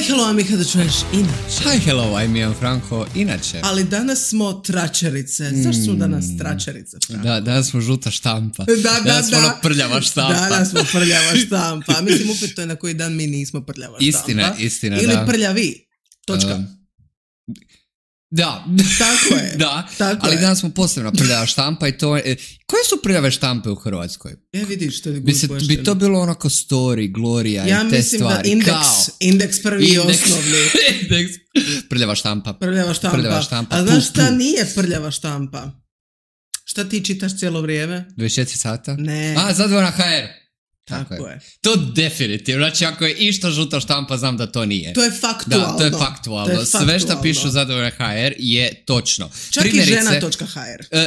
hello, Amika, da čuješ inače. Hi, hello, I'm Ian Franko, inače. Ali danas smo tračerice. Zašto smo danas tračerice, Franko? Da, danas smo žuta štampa. Danas smo prljava štampa. Danas smo prljava štampa. Mislim, upito je na koji dan mi nismo prljava štampa. Istina, ili da. Ili prljavi. Točka. Da. Tako je. Da, tako ali je. danas smo posebno prljava štampa i to je... Koje su prljave štampe u Hrvatskoj? Vidiš što je bi to bilo onako Story, Gloria i te stvari. Ja mislim da Indeks prvi i osnovni. Prljava štampa. Prljava štampa. A znaš šta nije prljava štampa? Šta ti čitaš cijelo vrijeme? 24 sata? Ne. Zadvora HR. Tako je. To definitivno. Znači, ako je išta žuta štampa, znam da to nije. To je faktualno. Da, to je faktualno. Sve što pišu Zadovoljna HR je točno. Čak i žena.hr.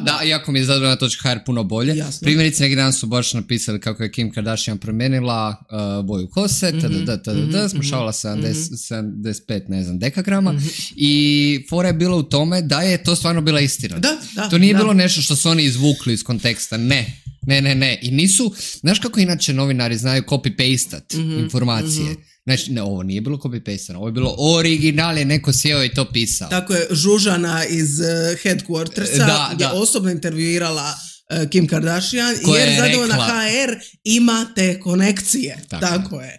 Da, iako mi je Zadovoljna.hr puno bolje. Jasno. Primjerice, neki dan su baš napisali kako je Kim Kardashian promijenila boju kose, smušavala 75, ne znam, dekagrama i fora je bila u tome da je to stvarno bila istina. To nije bilo nešto što su oni izvukli iz konteksta, ne. I nisu, znaš kako inače novinari znaju copy-pastat informacije. Znači, ne, ovo nije bilo copy-pastano, ovo je bilo original, je neko sjeo i to pisao. Tako je, Žužana iz Headquartersa je osobno intervjuirala Kim Kardashian jer Zadovoljna HR ima te konekcije.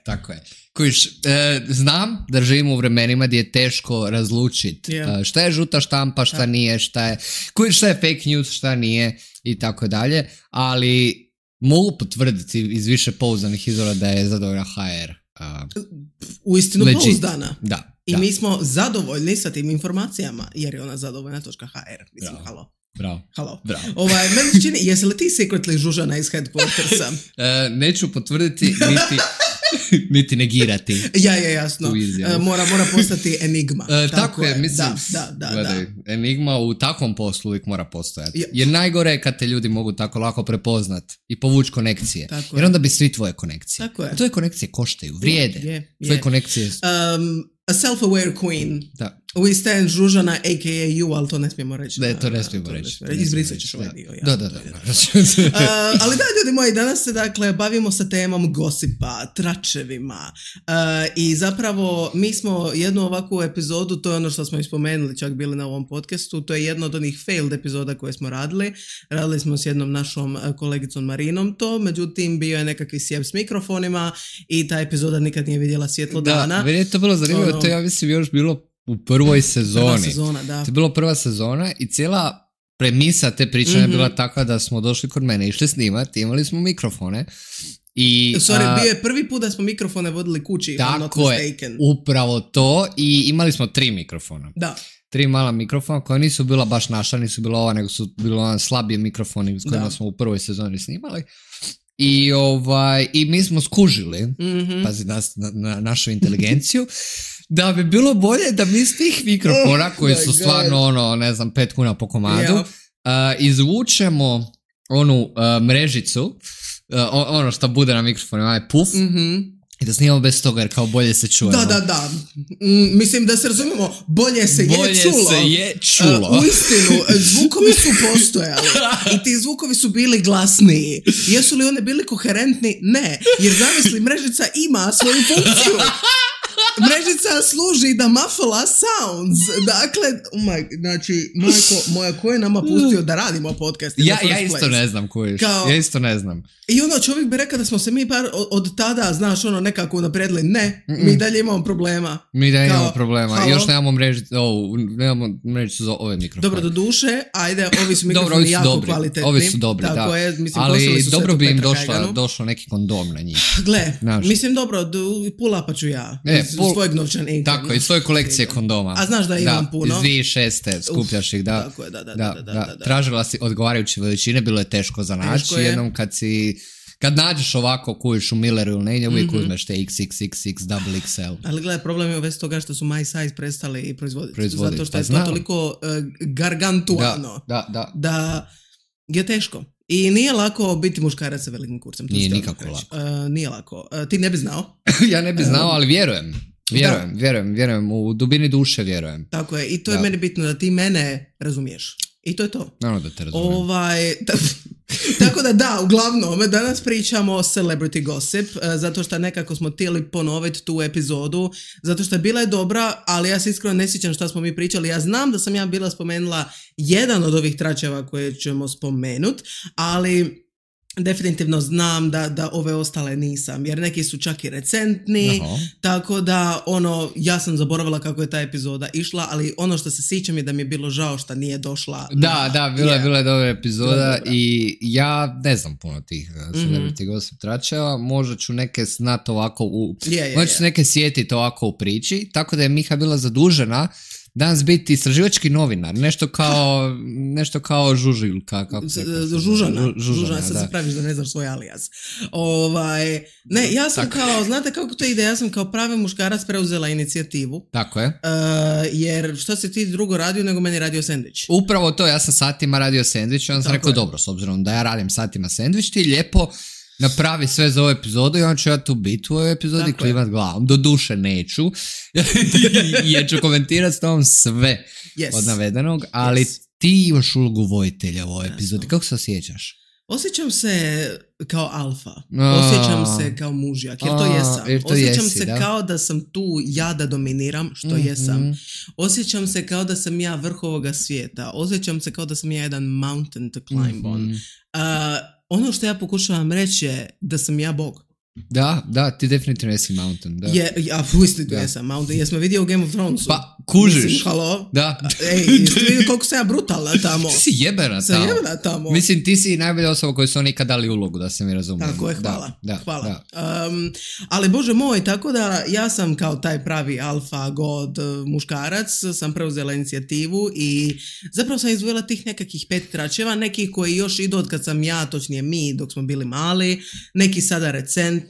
Tako je. Kojiš, znam da živimo u vremenima gdje je teško razlučiti šta je žuta štampa, šta nije, šta je fake news, šta nije i tako dalje, ali mogu potvrditi iz više pouzdanih izvora da je Zadovoljna HR uistinu pouzdana. Da. I mi smo zadovoljni sa tim informacijama jer je ona zadovoljna.hr. Mislim, halo. Bravo. Meni se čini, jesi li ti secretly Žužana iz Headquartersa? Neću potvrditi, niti negirati. Jasno. Mora postati enigma. Tako je, mislim. Da. Enigma u takvom poslu uvijek mora postojati. Jer najgore je kad te ljudi mogu tako lako prepoznat i povući konekcije. Jer onda bi svi tvoje konekcije. Tako je. Tvoje konekcije koštaju, vrijede. Tvoje konekcije... A self-aware queen. Da. We stand Žužana, a.k.a. you, ali to ne smijemo reći. Ne, to ne smijemo reći. Izbrisat ćeš ovaj dio. Da. Ali da, ljudi moji, danas se bavimo sa temom gosipa, tračevima. I zapravo mi smo jednu ovakvu epizodu, to je ono što smo spomenuli, čak bili na ovom podcastu, to je jedna od onih failed epizoda koje smo radili. Radili smo s jednom našom kolegicom Marinom to, međutim bio je nekakvi sjeb s mikrofonima i ta epizoda nikad nije vidjela svjetlo dana. Meni je to bilo zanimljivo, to ja mislim još bilo u prvoj sezoni. Prva sezona, da. To je bilo prva sezona i cijela premisa te priče je bila takva da smo došli kod mene, išli snimati, imali smo mikrofone i... bio je prvi put da smo mikrofone vodili kući. Tako je, upravo to i imali smo 3 mikrofona. Da. 3 mala mikrofona koja nisu bila baš naša, nisu bila ova, nego su bila slabije mikrofoni s kojima smo u prvoj sezoni snimali. I mi smo skužili, pazi na našu inteligenciju, da bi bilo bolje da mi s tih mikrofona koji su stvarno 5 kuna po komadu, izvučemo onu mrežicu, ono što bude na mikrofonu, onaj puf, i da snimamo bez toga jer kao bolje se čujemo. Da. Mislim da se razumemo, bolje se je čulo. Uistinu, zvukovi su postojali i ti zvukovi su bili glasniji. Jesu li one bili koherentni? Ne, jer zamisli, mrežica ima svoju funkciju. Mrežica služi da muffla sounds. Dakle, majko moja, ko je nama pustio da radimo podcast? Ja isto ne znam kojiš. Ja isto ne znam. I čovjek bi rekao da smo se mi od tada, nekako unaprijedili. Ne, mi dalje imamo problema. I još nemamo mrežicu za ove mikrofone. Dobro, do duše, ajde, ovi su mikrofoni jako kvalitetni. Ovi su dobri, da. Ali dobro bi im došlo neki kondom na njih. Gle, mislim dobro, pull-upa ću ja. Svojeg novčanika. Tako, iz svoje kolekcije kondoma. A znaš da imam puno? Iz 2006. skupljaš ih, da. Tako je, da. Tražila si odgovarajuće veličine, bilo je teško za naći. Jednom kad nađeš ovako kujiš u Milleru ili negdje, uvijek uzmeš te XXXX, XXL. Ali gledaj, problem je uvijek toga što su My Size prestali proizvoditi. Zato što je to toliko gargantuano. Da je teško. I nije lako biti muškarac sa velikim kurcem. Nije nikako lako. Nije lako. Ti ne bi znao? Ja ne bi znao, ali vjerujem. U dubini duše vjerujem. Tako je. I to je meni bitno da ti mene razumiješ. I to je to. Naravno da te razumijem. Tako da, uglavnom, danas pričamo o celebrity gossip, zato što nekako smo htjeli ponoviti tu epizodu, zato što je bila dobra, ali ja se iskreno ne sjećam šta smo mi pričali. Ja znam da sam ja bila spomenula jedan od ovih tračeva koje ćemo spomenuti, ali definitivno znam da ove ostale nisam, jer neki su čak i recentni, tako da ja sam zaboravila kako je ta epizoda išla, ali ono što se sjećam je da mi je bilo žao što nije došla. Bila je dobra epizoda i ja ne znam puno tih celebrity gossip tračeva, možda ću neke znati ovako, možda ću neke sjetiti ovako u priči, tako da je Miha bila zadužena danas biti istraživački novinar, nešto kao žužilka, kako se kaže? Žužana, sad se praviš da ne znaš svoj alijas. Ne, ja sam znate kako to ide, ja sam kao pravi muškarac preuzela inicijativu. Tako je. Jer što si ti drugo radio nego meni radio sendvič? Upravo to, ja sam satima radio sendvič i onda sam rekao, dobro, s obzirom da ja radim satima sendvič, ti lijepo napravi sve za ovu epizodu i onda ću ja tu biti u ovoj epizodi i klimat glavom. Do duše neću, jer ću komentirati s tom sve od navedenog, ali ti imaš ulogu vojitelja u ovoj epizodi. Kako se osjećaš? Osjećam se kao alfa, osjećam se kao mužjak, jer to jesam. Osjećam se kao da sam tu ja da dominiram, što jesam. Osjećam se kao da sam ja vrh ovoga svijeta. Osjećam se kao da sam ja jedan mountain to climb on. Ono što ja pokušavam reći je da sam ja Bog. Da, ti definitivno jesi mountain. Da. Ja uistinu jesam mountain. Jesmo vidio u Game of Thronesu. Pa, kužiš. Mislim, halo? Da. Jeste vidio koliko sam ja brutalna tamo? Ti si jebena tamo. Mislim, ti si najbolja osoba koju su oni ikad dali ulogu, da se mi razumijem. Tako je, hvala. Ali bože moj, tako da ja sam kao taj pravi alfa god muškarac, sam preuzela inicijativu i zapravo sam izdvojila tih nekakvih 5 tračeva, nekih koji još idu od kad sam ja, točnije mi, dok smo bili mali, neki sada recentni,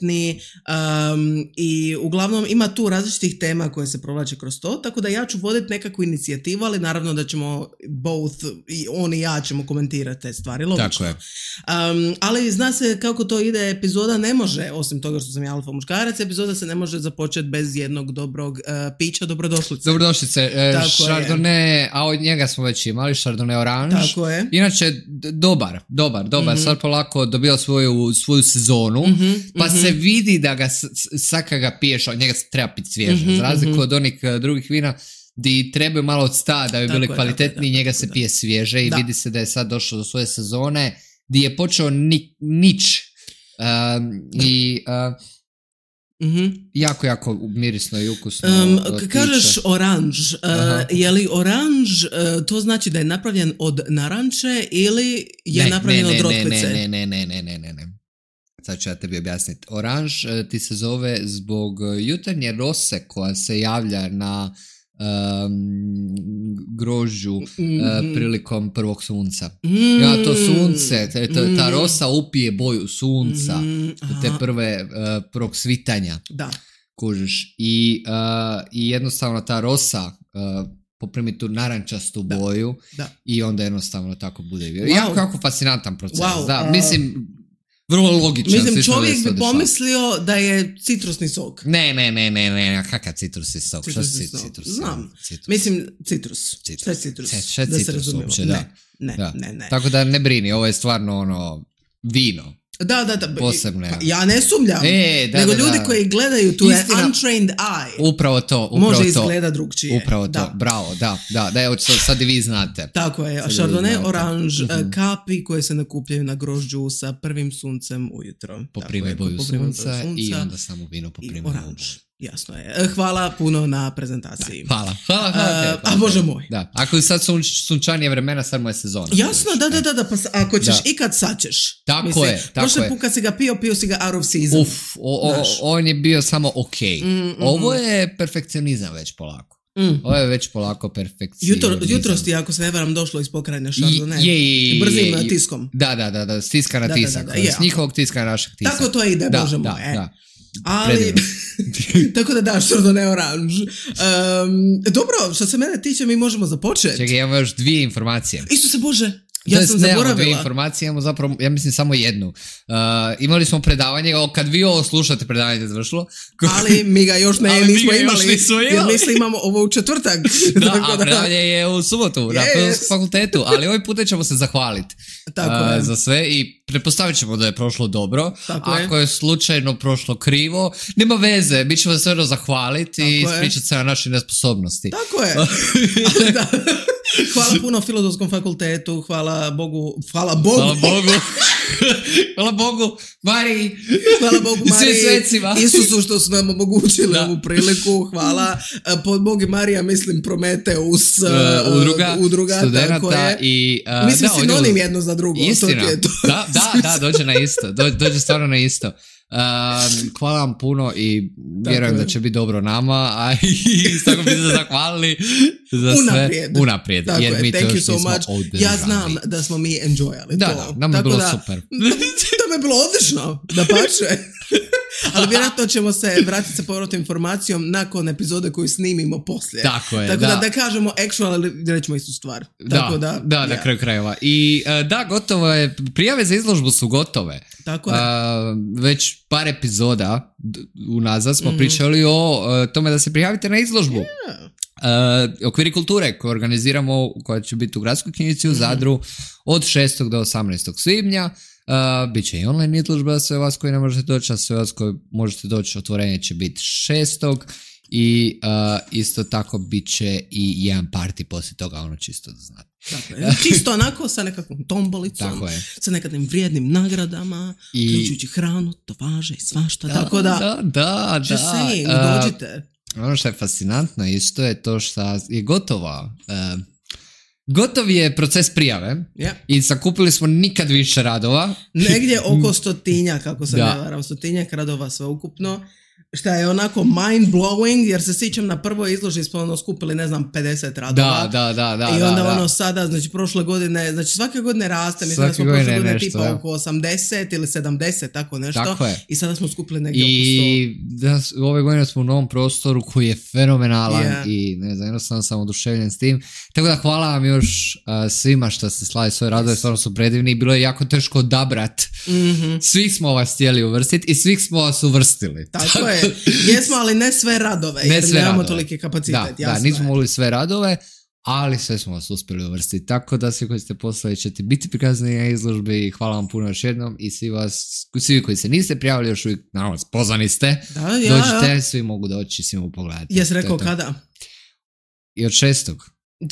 i uglavnom ima tu različitih tema koje se provlače kroz to, tako da ja ću voditi nekakvu inicijativu, ali naravno da ćemo both, i on i ja ćemo komentirati te stvari, logično. Tako je. Ali zna se kako to ide, epizoda ne može, osim toga što sam ja alfa muškarac, epizoda se ne može započeti bez jednog dobrog pića, dobrodošlice. Chardonnay, a od njega smo već imali, Chardonnay Orange. Tako je. Inače, dobar, sad polako dobio svoju sezonu, pa se vidi da ga svaka ga piješ, od njega se treba piti svježe. Za razliku od onih drugih vina di trebaju malo od sta da bi bili kvalitetniji, njega se pije svježe i vidi se da je sad došao do svoje sezone di je počeo nič jako mirisno i ukusno. Kažeš oranž, je li oranž, to znači da je napravljen od naranče ili je napravljen od rotkvice? Ne. Sad ću ja tebi objasniti. Oranž ti se zove zbog jutarnje rose koja se javlja na grožđu prilikom prvog sunca. Ja, to sunce, ta rosa upije boju sunca, te prvog svitanja. Da. Kužiš. I jednostavno ta rosa poprimi tu narančastu boju i onda jednostavno tako bude. Jako fascinantan proces. Mislim, vrlo logičan. Mislim, čovjek bi pomislio da je citrusni sok. Ne, kakav citrusni sok? Citrusni sok, znam. Mislim, citrus. Šta je citrus? Da se razumijemo. Ne. Tako da ne brini, ovo je stvarno vino. Da. Posebne. Pa ja ne sumljam. Nego ljudi koji gledaju tu je untrained eye. Upravo to. Može izgleda drugčije. Upravo to. Bravo, da, evo sad i vi znate. Tako je. Chardonnay Orange, kapi koje se nakupljaju na grožđu sa prvim suncem ujutro. Poprime boju sunca i onda samo vino poprime oranž. Jasno je. Hvala puno na prezentaciji. Hvala. A bože moj. Da. Ako je sad sunčanije vremena, sad mu je sezona. Jasno, da. Pa ako ćeš ikad sad ćeš. Tako je. Prošle put kad si ga pio si ga out of season. On je bio samo okej. Ovo je perfekcionizam već polako. Ovo je već polako perfekcionizam. Jutros ti, ako se ne varam, došlo iz pokrajine Chardonnay. I brzim tiskom. Da, s tiska na tisak. S njihovog tiska na našeg tiska. Tako to ide, bože moj. Ali, tako da Chardonnay Orange. Dobro, što se mene tiče, mi možemo započeti. Čekaj, imamo još 2 informacije. Isuse Bože, Ja sam zaboravila. Dvije informacije, imamo zapravo, ja mislim, samo jednu. Imali smo predavanje, kad vi ovo slušate, predavanje je završilo. Ali mi ga još nismo imali. Jer mislim imamo ovo u četvrtak. Da, a predavanje je u subotu na Filozofskom fakultetu, ali ovaj puta ćemo se zahvaliti za sve i pretpostavit ćemo da je prošlo dobro. Ako je slučajno prošlo krivo, nema veze, mi ćemo se sve zahvaliti i ispričati se na naše nesposobnosti. Tako je. Hvala puno Filozofskom fakultetu, hvala Bogu. Hvala Bogu, Mariji. Hvala Bogu, Mariji. Isusu što su nam omogućili ovu priliku. Hvala. Pod Bog i Marija mislim Prometeus udruga. Studenata i... mislim sinonim jedno za drugo. Istina. Da, dođe na isto. Dođe stvarno na isto. Hvala vam puno i vjerujem da će biti dobro nama, a i tako bi se zahvalili za sve unaprijed, jer mi to još nismo održali. Ja znam da smo mi enjoyali to. Da, nam je bilo super. To mi je bilo odlično, da pače. Ali vjerojatno ćemo se vratiti sa povratnom informacijom nakon epizode koju snimimo poslije. Tako je, da kažemo actual, ali rećemo istu stvar. Na kraju krajeva. I gotovo je, prijave za izložbu su gotove. Tako je. Već par epizoda unazad smo pričali o tome da se prijavite na izložbu. Okviri kulture koje organiziramo, koja će biti u Gradskoj knjižnici u Zadru od 6. do 18. svibnja. Biće i online izložba za sve vas koji ne možete doći, a sve vas koji možete doći, otvorenje će biti 6. I isto tako bit će i jedan party poslije toga, ono čisto da znate. Dakle, čisto onako sa nekakvom tombolicom, sa nekakvim vrijednim nagradama, uključujući hranu, tovaže i svašta, tako da dođite. Ono što je fascinantno isto je to što je gotov je proces prijave i sakupili smo nikad više radova. Negdje oko 100, kako se ne varam, 100 radova sveukupno. Šta je onako mind blowing, jer se sjećam na prvoj izložbi smo skupili 50 radova. Da. I onda sada, znači prošle godine, znači svake godine raste, mislim da smo prošle godine nešto, tipa oko 80 ili 70, tako nešto. Tako i sada smo skupili negdje oko 100. I ove godine smo u novom prostoru koji je fenomenalan i ne znam, jednostavno sam oduševljen s tim. Tako da hvala vam još svima što ste slali svoje radove, stvarno su predivni i bilo je jako teško odabrat. Svih smo vas htjeli uvrstiti i svih smo vas uvrstili. Tako je. Jesmo, ali ne sve radove, jer nemamo toliki kapacitet. Da, nismo mogli sve radove, ali sve smo vas uspjeli uvrstiti. Tako da svi koji ste poslali ćete biti prikazani na izložbi. Hvala vam puno još jednom i svi koji se niste prijavili još uvijek, naravno, pozvani ste. Dođite, svi mogu doći, svi mogu pogledati. Jesi rekao kada? I od 6.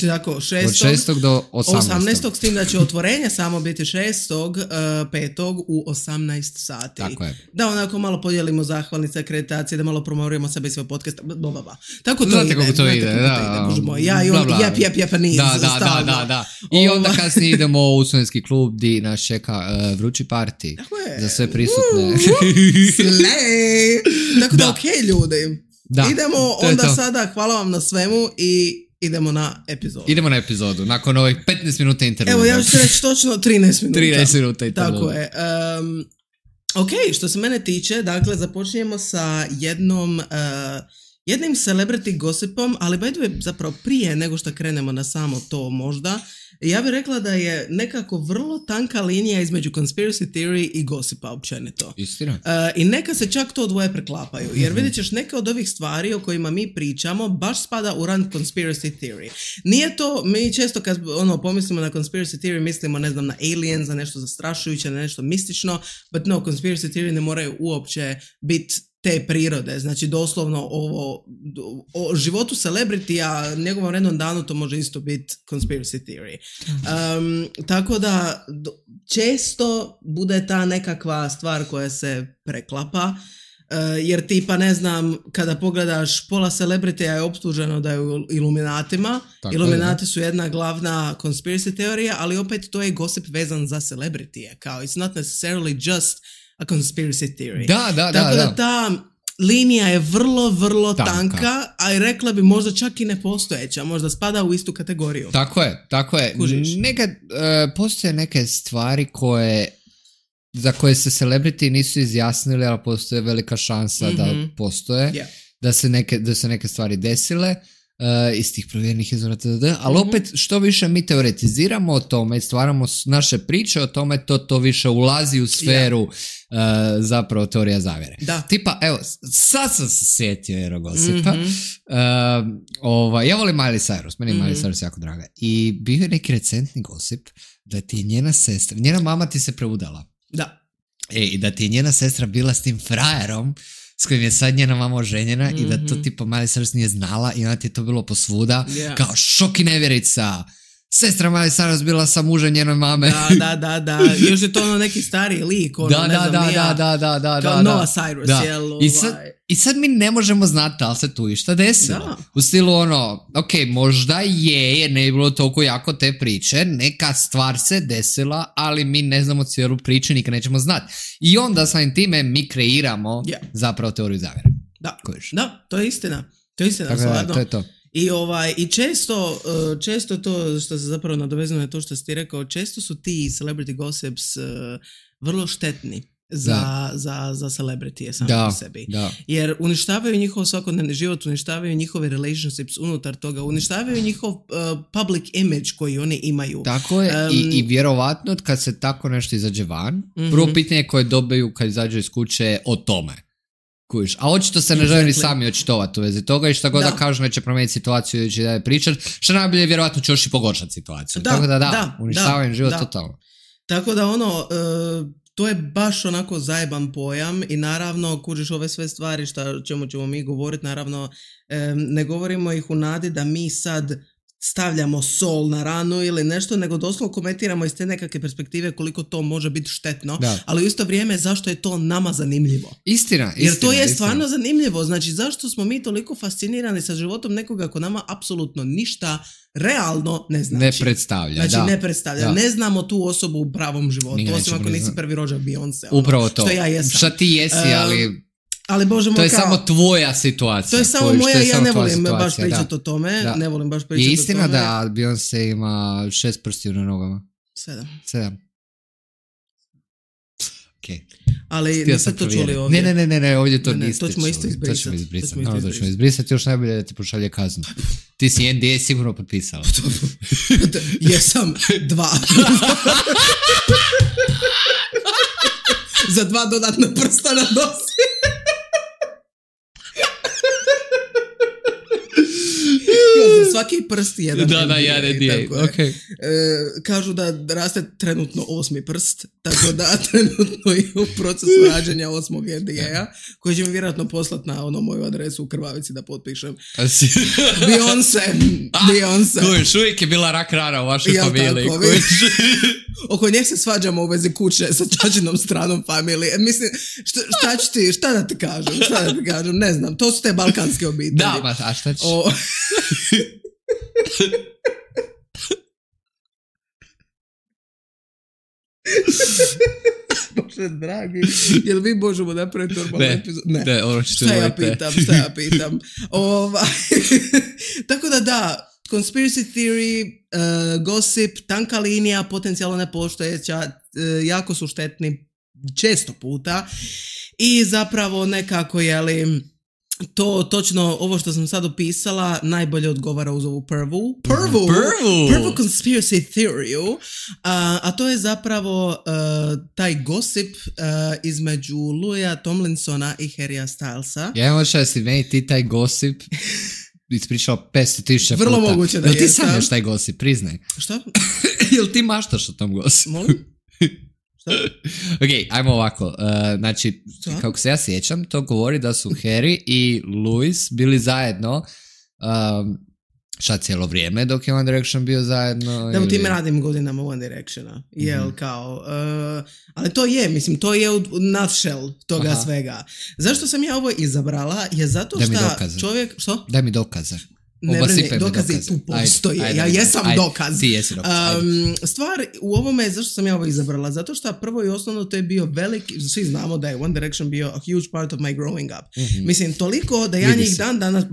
Tako, od 6. do 18. S tim da će otvorenje samo biti 6.5. u 18 sati. Tako je. Da onako malo podijelimo zahvalnice, akreditacije, da malo promoviramo sebe i svoj podcast. Tako to znate ide. Kako to ide, Ja i on jep niz. Da. I onda kasnije idemo u studentski klub gdje nas čeka vrući party. Za sve prisutne. Tako da okej, ljudi. Idemo onda sada, hvala vam na svemu i idemo na epizodu. Nakon ovih 15 minuta intervjua. Evo, ja ću reći točno 13 minuta. 13 minuta intervjua. Tako je. Ok, što se mene tiče, dakle, započinjemo sa jednim celebrity gossipom, ali by the way, zapravo prije nego što krenemo na samo to možda, ja bih rekla da je nekako vrlo tanka linija između conspiracy theory i gossipa općenito. Istina. I neka se čak to dvoje preklapaju, jer vidjet ćeš neke od ovih stvari o kojima mi pričamo baš spada u rang conspiracy theory. Nije to, mi često kad pomislimo na conspiracy theory mislimo, ne znam, na aliens, na nešto zastrašujuće, na nešto mistično, but no, conspiracy theory ne moraju uopće biti te prirode, znači doslovno o životu celebritija, njegovom rednom danu to može isto biti conspiracy theory. Tako da često bude ta nekakva stvar koja se preklapa, jer tipa ne znam, kada pogledaš pola celebritija je optuženo da je u Iluminatima. Iluminati su jedna glavna conspiracy teorija, ali opet to je gossip vezan za celebritije, kao it's not necessarily just a conspiracy theory. Tako da ta linija je vrlo, vrlo tanka, a i rekla bi možda čak i nepostojeća, možda spada u istu kategoriju. Tako je. Nekad postoje neke stvari za koje se celebrity nisu izjasnili, ali postoje velika šansa da postoje, da se neke stvari desile. iz tih provjerenih izvora, ali opet što više mi teoretiziramo o tome, stvaramo naše priče o tome, to više ulazi u sferu zapravo teorija zavjere. Da. Tipa, evo, sad sam se sjetio Erogosipa. Ja volim Miley Cyrus, meni je Miley Cyrus jako draga. I bio je neki recentni gosip da ti je njena sestra, njena mama ti se preudala. Da. I da ti je njena sestra bila s tim frajerom s kojim je sad njena mama oženjena i da to tipa Miley Cyrus nije znala i onda ti je to bilo posvuda kao šok i nevjerica. Sestra Miley Cyrus bila sa mužem njene mame. Da. Još je to ono neki stariji lik. Ono, Da. Kao Noah Cyrus, jel? I sad mi ne možemo znati da li se tu išta desilo. Da. U stilu ono, ok, možda jer ne je bilo toliko jako te priče, neka stvar se desila, ali mi ne znamo cijelu priču, nikad nećemo znati. I onda samim time mi kreiramo zapravo teoriju zavjere. Da, to je istina. Stvarno. To je to. I često to što se zapravo nadovezano na to što si ti rekao, često su ti celebrity gossips vrlo štetni za celebritije sami po sebi. Da. Jer uništavaju njihov svakodnevni život, uništavaju njihove relationships unutar toga, uništavaju njihov public image koji oni imaju. Tako je, i vjerovatno kad se tako nešto izađe van, prvo pitanje koje dobiju kad izađu iz kuće o tome. Kužiš. A očito se ne žele ni sami očitovati u vezi toga i šta god da kažu neće promijeniti situaciju ili će da je pričat, što najbolje vjerojatno će još i pogoršati situaciju. Tako da, uništavaju život totalno. Tako da to je baš onako zajeban pojam i naravno, kužiš, ove sve stvari čemu ćemo mi govoriti, naravno ne govorimo ih u nadi da mi sad stavljamo sol na ranu ili nešto, nego doslovno komentiramo iz te nekakve perspektive koliko to može biti štetno, ali u isto vrijeme zašto je to nama zanimljivo. Istina. Jer to je stvarno zanimljivo. Znači, zašto smo mi toliko fascinirani sa životom nekoga ko nama apsolutno ništa realno ne znači. Ne predstavlja, znači, ne predstavlja. Ne znamo tu osobu u pravom životu, osim ako nisi prvi rođak Beyoncé. Upravo to. Što ja jesam. Šta ti jesi, ali Bože moj, to je samo tvoja situacija. To je samo moja, ja ne volim baš pričati o tome. Ne volim baš pričati o tome. Je istina da Beyoncé ima 6 prstiju na nogama? 7. Okay. Ali niste to čuli ovdje. Ne, ovdje to niste čuli. To ćemo isto izbrisati. To ćemo izbrisati, još najbolje da ti pošalje kaznu. Ti si NDA sigurno potpisala. Jesam 2. Za 2 dodatna prsta na nosi. Za svaki prst jedan NDA. Okay. Kažu da raste trenutno 8. prst, tako da trenutno je u procesu rađenja 8. NDA-a, koji će mi vjerojatno poslati na moju adresu u Krvavici da potpišem. Beyoncé. Kojiš, uvijek je bila rak rana u vašoj familiji. Oko nje se svađamo u vezi kuće sa čačinom stranom familije. Mislim, šta da ti kažem? Ne znam, to su te balkanske obitelji. Da, a šta ćeš? Bože dragi, jel vi možemo napraviti normalnu epizodu? Ne, ono šta ja pitam. Tako da, conspiracy theory, gossip, tanka linija, potencijalno nepostojeća, jako su štetni često puta i zapravo nekako, to točno, ovo što sam sad opisala, najbolje odgovara uz ovu prvu conspiracy theory, a to je zapravo taj gossip između Louisa Tomlinsona i Harrya Stylesa. Ja imam očaj da si meni ti taj gossip ispričao 500,000 puta. Vrlo moguće da jesam. Jel ti sanjaš taj gossip, priznaj. Šta? Jel ti maštaš o tom gossipu? Molim? Ok, ajmo ovako. Znači, kako se ja sjećam, to govori da su Harry i Louis bili zajedno cijelo vrijeme dok je One Direction bio zajedno. Da, u time radim godinama One Directiona. Ali to je, mislim, to je u nutshell toga svega. Zašto sam ja ovo izabrala? Je zato što čovjek... Što? Daj mi dokaze. Dokazi tu postoje. Ja jesam dokaz. Ti jesi dokaz. Stvar u ovome, zašto sam ja ovo izabrala? Zato što prvo i osnovno to je bio veliki, svi znamo da je One Direction bio a huge part of my growing up. Mislim, toliko da ja njih dan danas,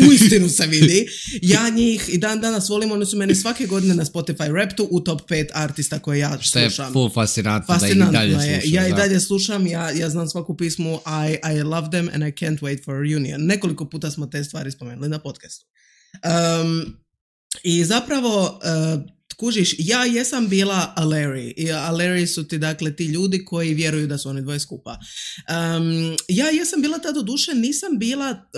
uistinu se vidi, ja njih i dan danas volim, oni su meni svake godine na Spotify Raptu u top 5 artista koje ja slušam. Što je full fascinantno da i dalje slušam. Ja i dalje slušam, ja znam svaku pismu, I love them and I can't wait for a reunion. Nekoliko puta smo te stvari spomenuli na podcastu. I zapravo... kužiš, ja jesam bila a Larry. A Larry su ti, dakle, ti ljudi koji vjeruju da su oni dvoje skupa. Ja jesam bila ta doduše, nisam bila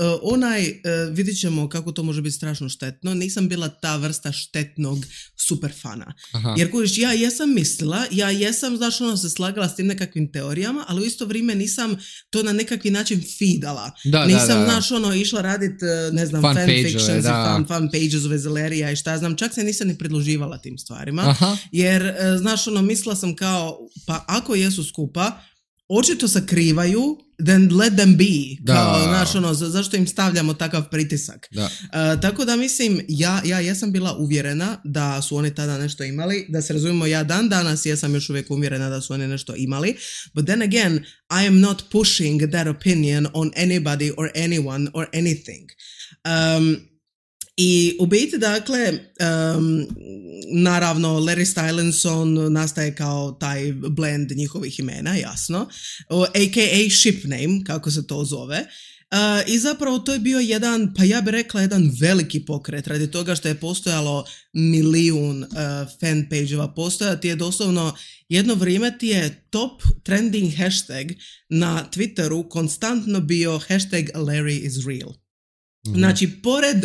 vidit ćemo kako to može biti strašno štetno, nisam bila ta vrsta štetnog superfana. Aha. Jer kužiš, ja jesam mislila, ja jesam, znaš, se slagala s tim nekakvim teorijama, ali u isto vrijeme nisam to na nekakvi način feedala. Nisam, znaš, išla radit, ne znam, fanfictions i fan pages ove Larrya i šta znam, čak se nisam ni predloživala tim stvarima. Aha. Jer, znaš, mislila sam kao, pa ako jesu skupa, očito sakrivaju, then let them be. Kao, znaš, zašto im stavljamo takav pritisak? Tako da mislim, ja jesam bila uvjerena da su oni tada nešto imali, da se razumijemo, ja dan danas jesam još uvijek uvjerena da su oni nešto imali, but then again, I am not pushing that opinion on anybody or anyone or anything. I u biti, dakle, naravno, Larry Stylinson nastaje kao taj blend njihovih imena, jasno, a.k.a. ship name, kako se to zove. I zapravo to je bio jedan, pa ja bih rekla jedan veliki pokret, radi toga što je postojalo milijun fan page-eva, postojati je doslovno, jedno vrijeme ti je top trending hashtag na Twitteru konstantno bio hashtag Larry is real. Mm-hmm. Znači, pored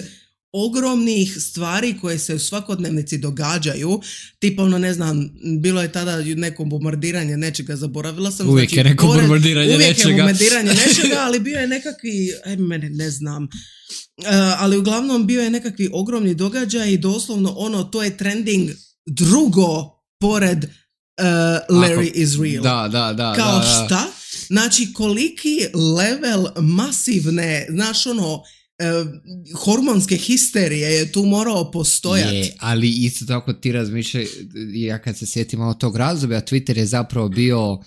ogromnih stvari koje se u svakodnevnici događaju, tipa ne znam, bilo je tada neko bombardiranje nečega, zaboravila sam. Uvijek je neko bombardiranje nečega. Uvijek je bombardiranje nečega, ali bio je nekakvi, ne znam, ali uglavnom bio je nekakvi ogromni događaj i doslovno to je trending drugo pored Larry is real. Da. Kao šta? Znači, koliki level masivne, znaš hormonske histerije je tu morao postojati. Je, ali isto tako ti razmišljaj, ja kad se sjetim malo tog razdoblja, Twitter je zapravo bio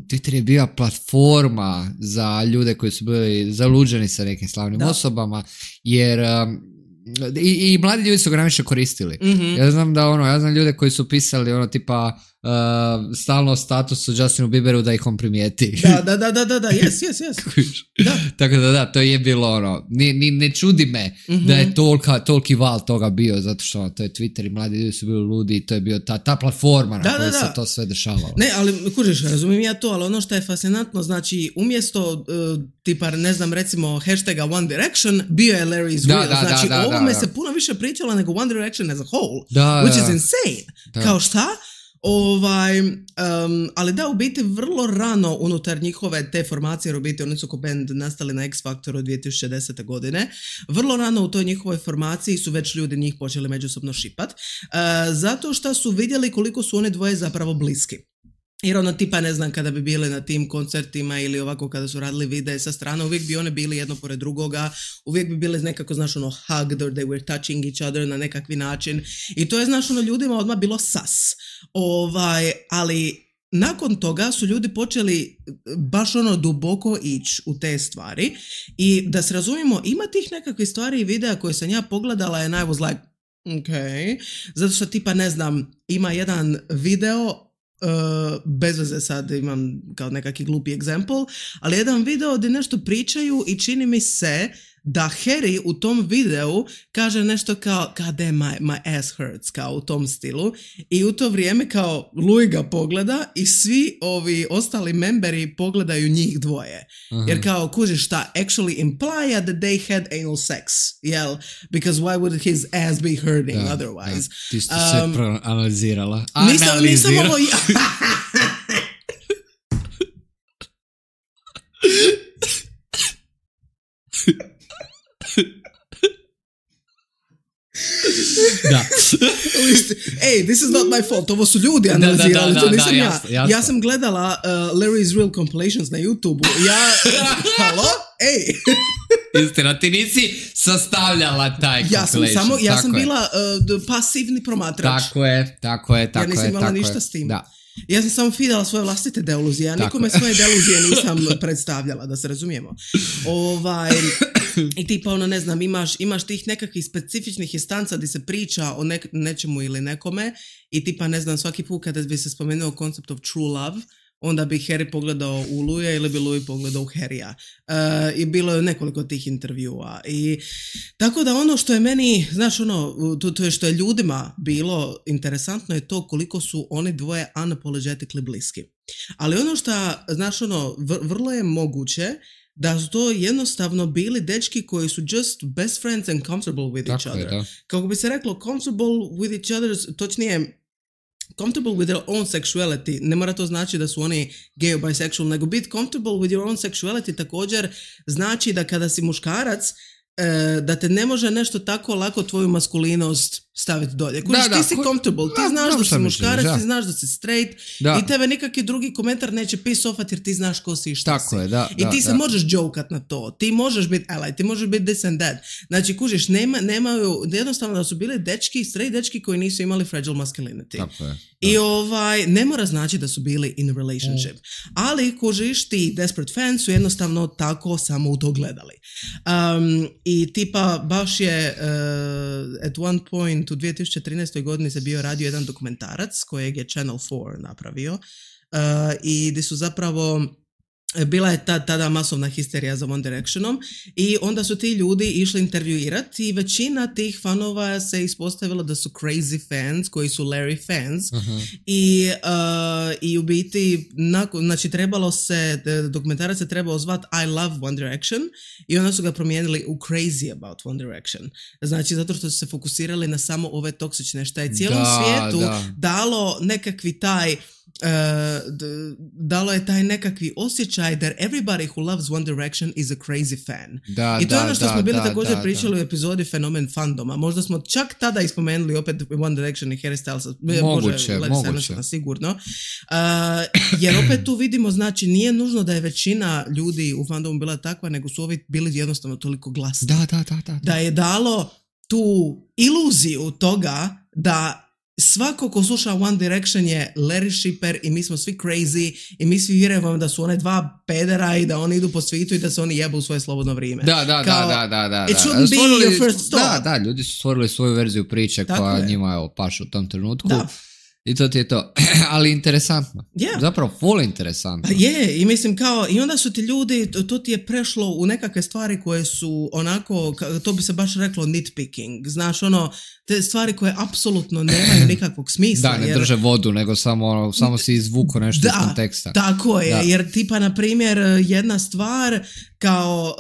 Twitter je bila platforma za ljude koji su bili zaluđeni sa nekim slavnim osobama, jer i mladi ljudi su ga najviše koristili. Mm-hmm. Ja znam da ja znam ljude koji su pisali tipa stalno statusu Justinu Bieberu da ih on primijeti. Da, yes. Da. Tako da, to je bilo ne čudi me da je toliki val toga bio, zato što to je Twitter i mladi ljudi su bili ludi i to je bio ta platforma na kojoj se to sve dešavalo. Ne, ali kužiš, razumijem ja to, ali ono što je fascinantno, znači umjesto tipa, ne znam, recimo hashtaga One Direction, bio je Larry is real. Znači ovome se puno više pričalo nego One Direction as a whole, which is insane. Kao šta? Ali da, u biti vrlo rano unutar njihove te formacije, jer u biti oni su ko band nastali na X Factoru 2010. godine, vrlo rano u toj njihovoj formaciji su već ljudi njih počeli međusobno šipat, zato što su vidjeli koliko su oni dvoje zapravo bliski. Jer tipa, ne znam, kada bi bili na tim koncertima ili ovako kada su radili videe sa strane, uvijek bi one bili jedno pored drugoga, uvijek bi bili nekako, znaš, hugged or they were touching each other na nekakvi način. I to je, znaš, ljudima odmah bilo sas. Ali nakon toga su ljudi počeli baš duboko ići u te stvari. I da se razumijemo, ima tih nekakvih stvari i videa koje sam ja pogledala and I was like, okay. Zato što tipa, ne znam, ima jedan video, bez veze sad imam kao nekakvi glupi example, ali jedan video gdje nešto pričaju i čini mi se da Harry u tom videu kaže nešto kao God damn, my ass hurts, kao u tom stilu, i u to vrijeme kao Louis ga pogleda i svi ovi ostali memberi pogledaju njih dvoje. Uh-huh. Jer kao, kužiš šta, actually imply that they had anal sex, jel? Because why would his ass be hurting otherwise? Ti ste sve proanalizirala. Nisam ovo... Da. Hey, this is not my fault. Ovo su ljudi analizirali, to nisam ja. Jasno. Ja sam gledala Larry is real compilations na YouTube-u. Halo? Ej! Istina, ti nisi sastavljala taj compilation. Ja sam bila pasivni promatrač. Tako je. Ja nisam imala ništa s tim. Da. Ja sam samo feedala svoje vlastite deluzije, ja nikome svoje deluzije nisam predstavljala, da se razumijemo. I tipa, ne znam, imaš tih nekakvih specifičnih instanca gdje se priča o nečemu ili nekome i tipa, ne znam, svaki put kada bi se spomenuo koncept of true love, onda bi Harry pogledao u Louisa ili bi Louis pogledao u Harrya. I bilo je nekoliko tih intervjua. I tako da ono što je meni, znaš ono, to je što je ljudima bilo interesantno je to koliko su oni dvoje unapologetically bliski. Ali ono što, znaš ono, vrlo je moguće da su to jednostavno bili dečki koji su just best friends and comfortable with each other. Da. Kako bi se reklo, comfortable with each other, točnije, comfortable with their own sexuality. Ne mora to znači da su oni gay or bisexual, nego biti comfortable with your own sexuality također znači da kada si muškarac, da te ne može nešto tako lako tvoju maskulinost staviti dolje. Ti si comfortable, ti znaš da si muškarac, ti znaš da si straight i tebe nikakvi drugi komentar neće piss offat jer ti znaš ko si i šta si. I ti se možeš jokat na to, ti možeš biti ally, ti možeš biti this and that. Znači, kužiš, nemaju, jednostavno da su bili dečki, straight dečki koji nisu imali fragile masculinity. Tako je. I ne mora znači da su bili in a relationship. Ali, kužiš, ti desperate fans su jednostavno tako samo u to gledali. I tipa, baš je at one point u 2013. godini se bio radio jedan dokumentarac kojeg je Channel 4 napravio i gdje su zapravo bila je tada masovna histerija za One Directionom i onda su ti ljudi išli intervjuirati i većina tih fanova se ispostavilo da su crazy fans koji su Larry fans. I u biti znači trebalo se, dokumentarac se trebao zvati I Love One Direction i onda su ga promijenili u Crazy About One Direction. Znači zato što su se fokusirali na samo ove toksične šta je cijelom svijetu dalo nekakvi taj dalo je taj nekakvi osjećaj that everybody who loves One Direction is a crazy fan. I to je ono što smo bili također pričali u epizodi Fenomen fandoma. Možda smo čak tada ispomenuli opet One Direction i Harry Styles. Moguće. Sigurno. Jer opet tu vidimo, znači nije nužno da je većina ljudi u fandomu bila takva, nego su ovi bili jednostavno toliko glasni. Da je dalo tu iluziju toga da svako ko sluša One Direction je Larry shipper i mi smo svi crazy i mi svi vjerujemo da su one dva pedera i da oni idu po svijetu i da se oni jebu u svoje slobodno vrijeme. Da. It shouldn't be your first thought. Da, ljudi su stvorili svoju verziju priče koja njima paše u tom trenutku. Da. I to ti je to. Ali interesantno. Zapravo full interesantno. I mislim kao, i onda su ti ljudi, to ti je prešlo u nekakve stvari koje su onako, to bi se baš reklo nitpicking. Znaš, ono, te stvari koje apsolutno nemaju nikakvog smisla. Da, ne drže vodu, nego samo si izvuko nešto iz konteksta. Tako je, jer tipa, na primjer, jedna stvar kao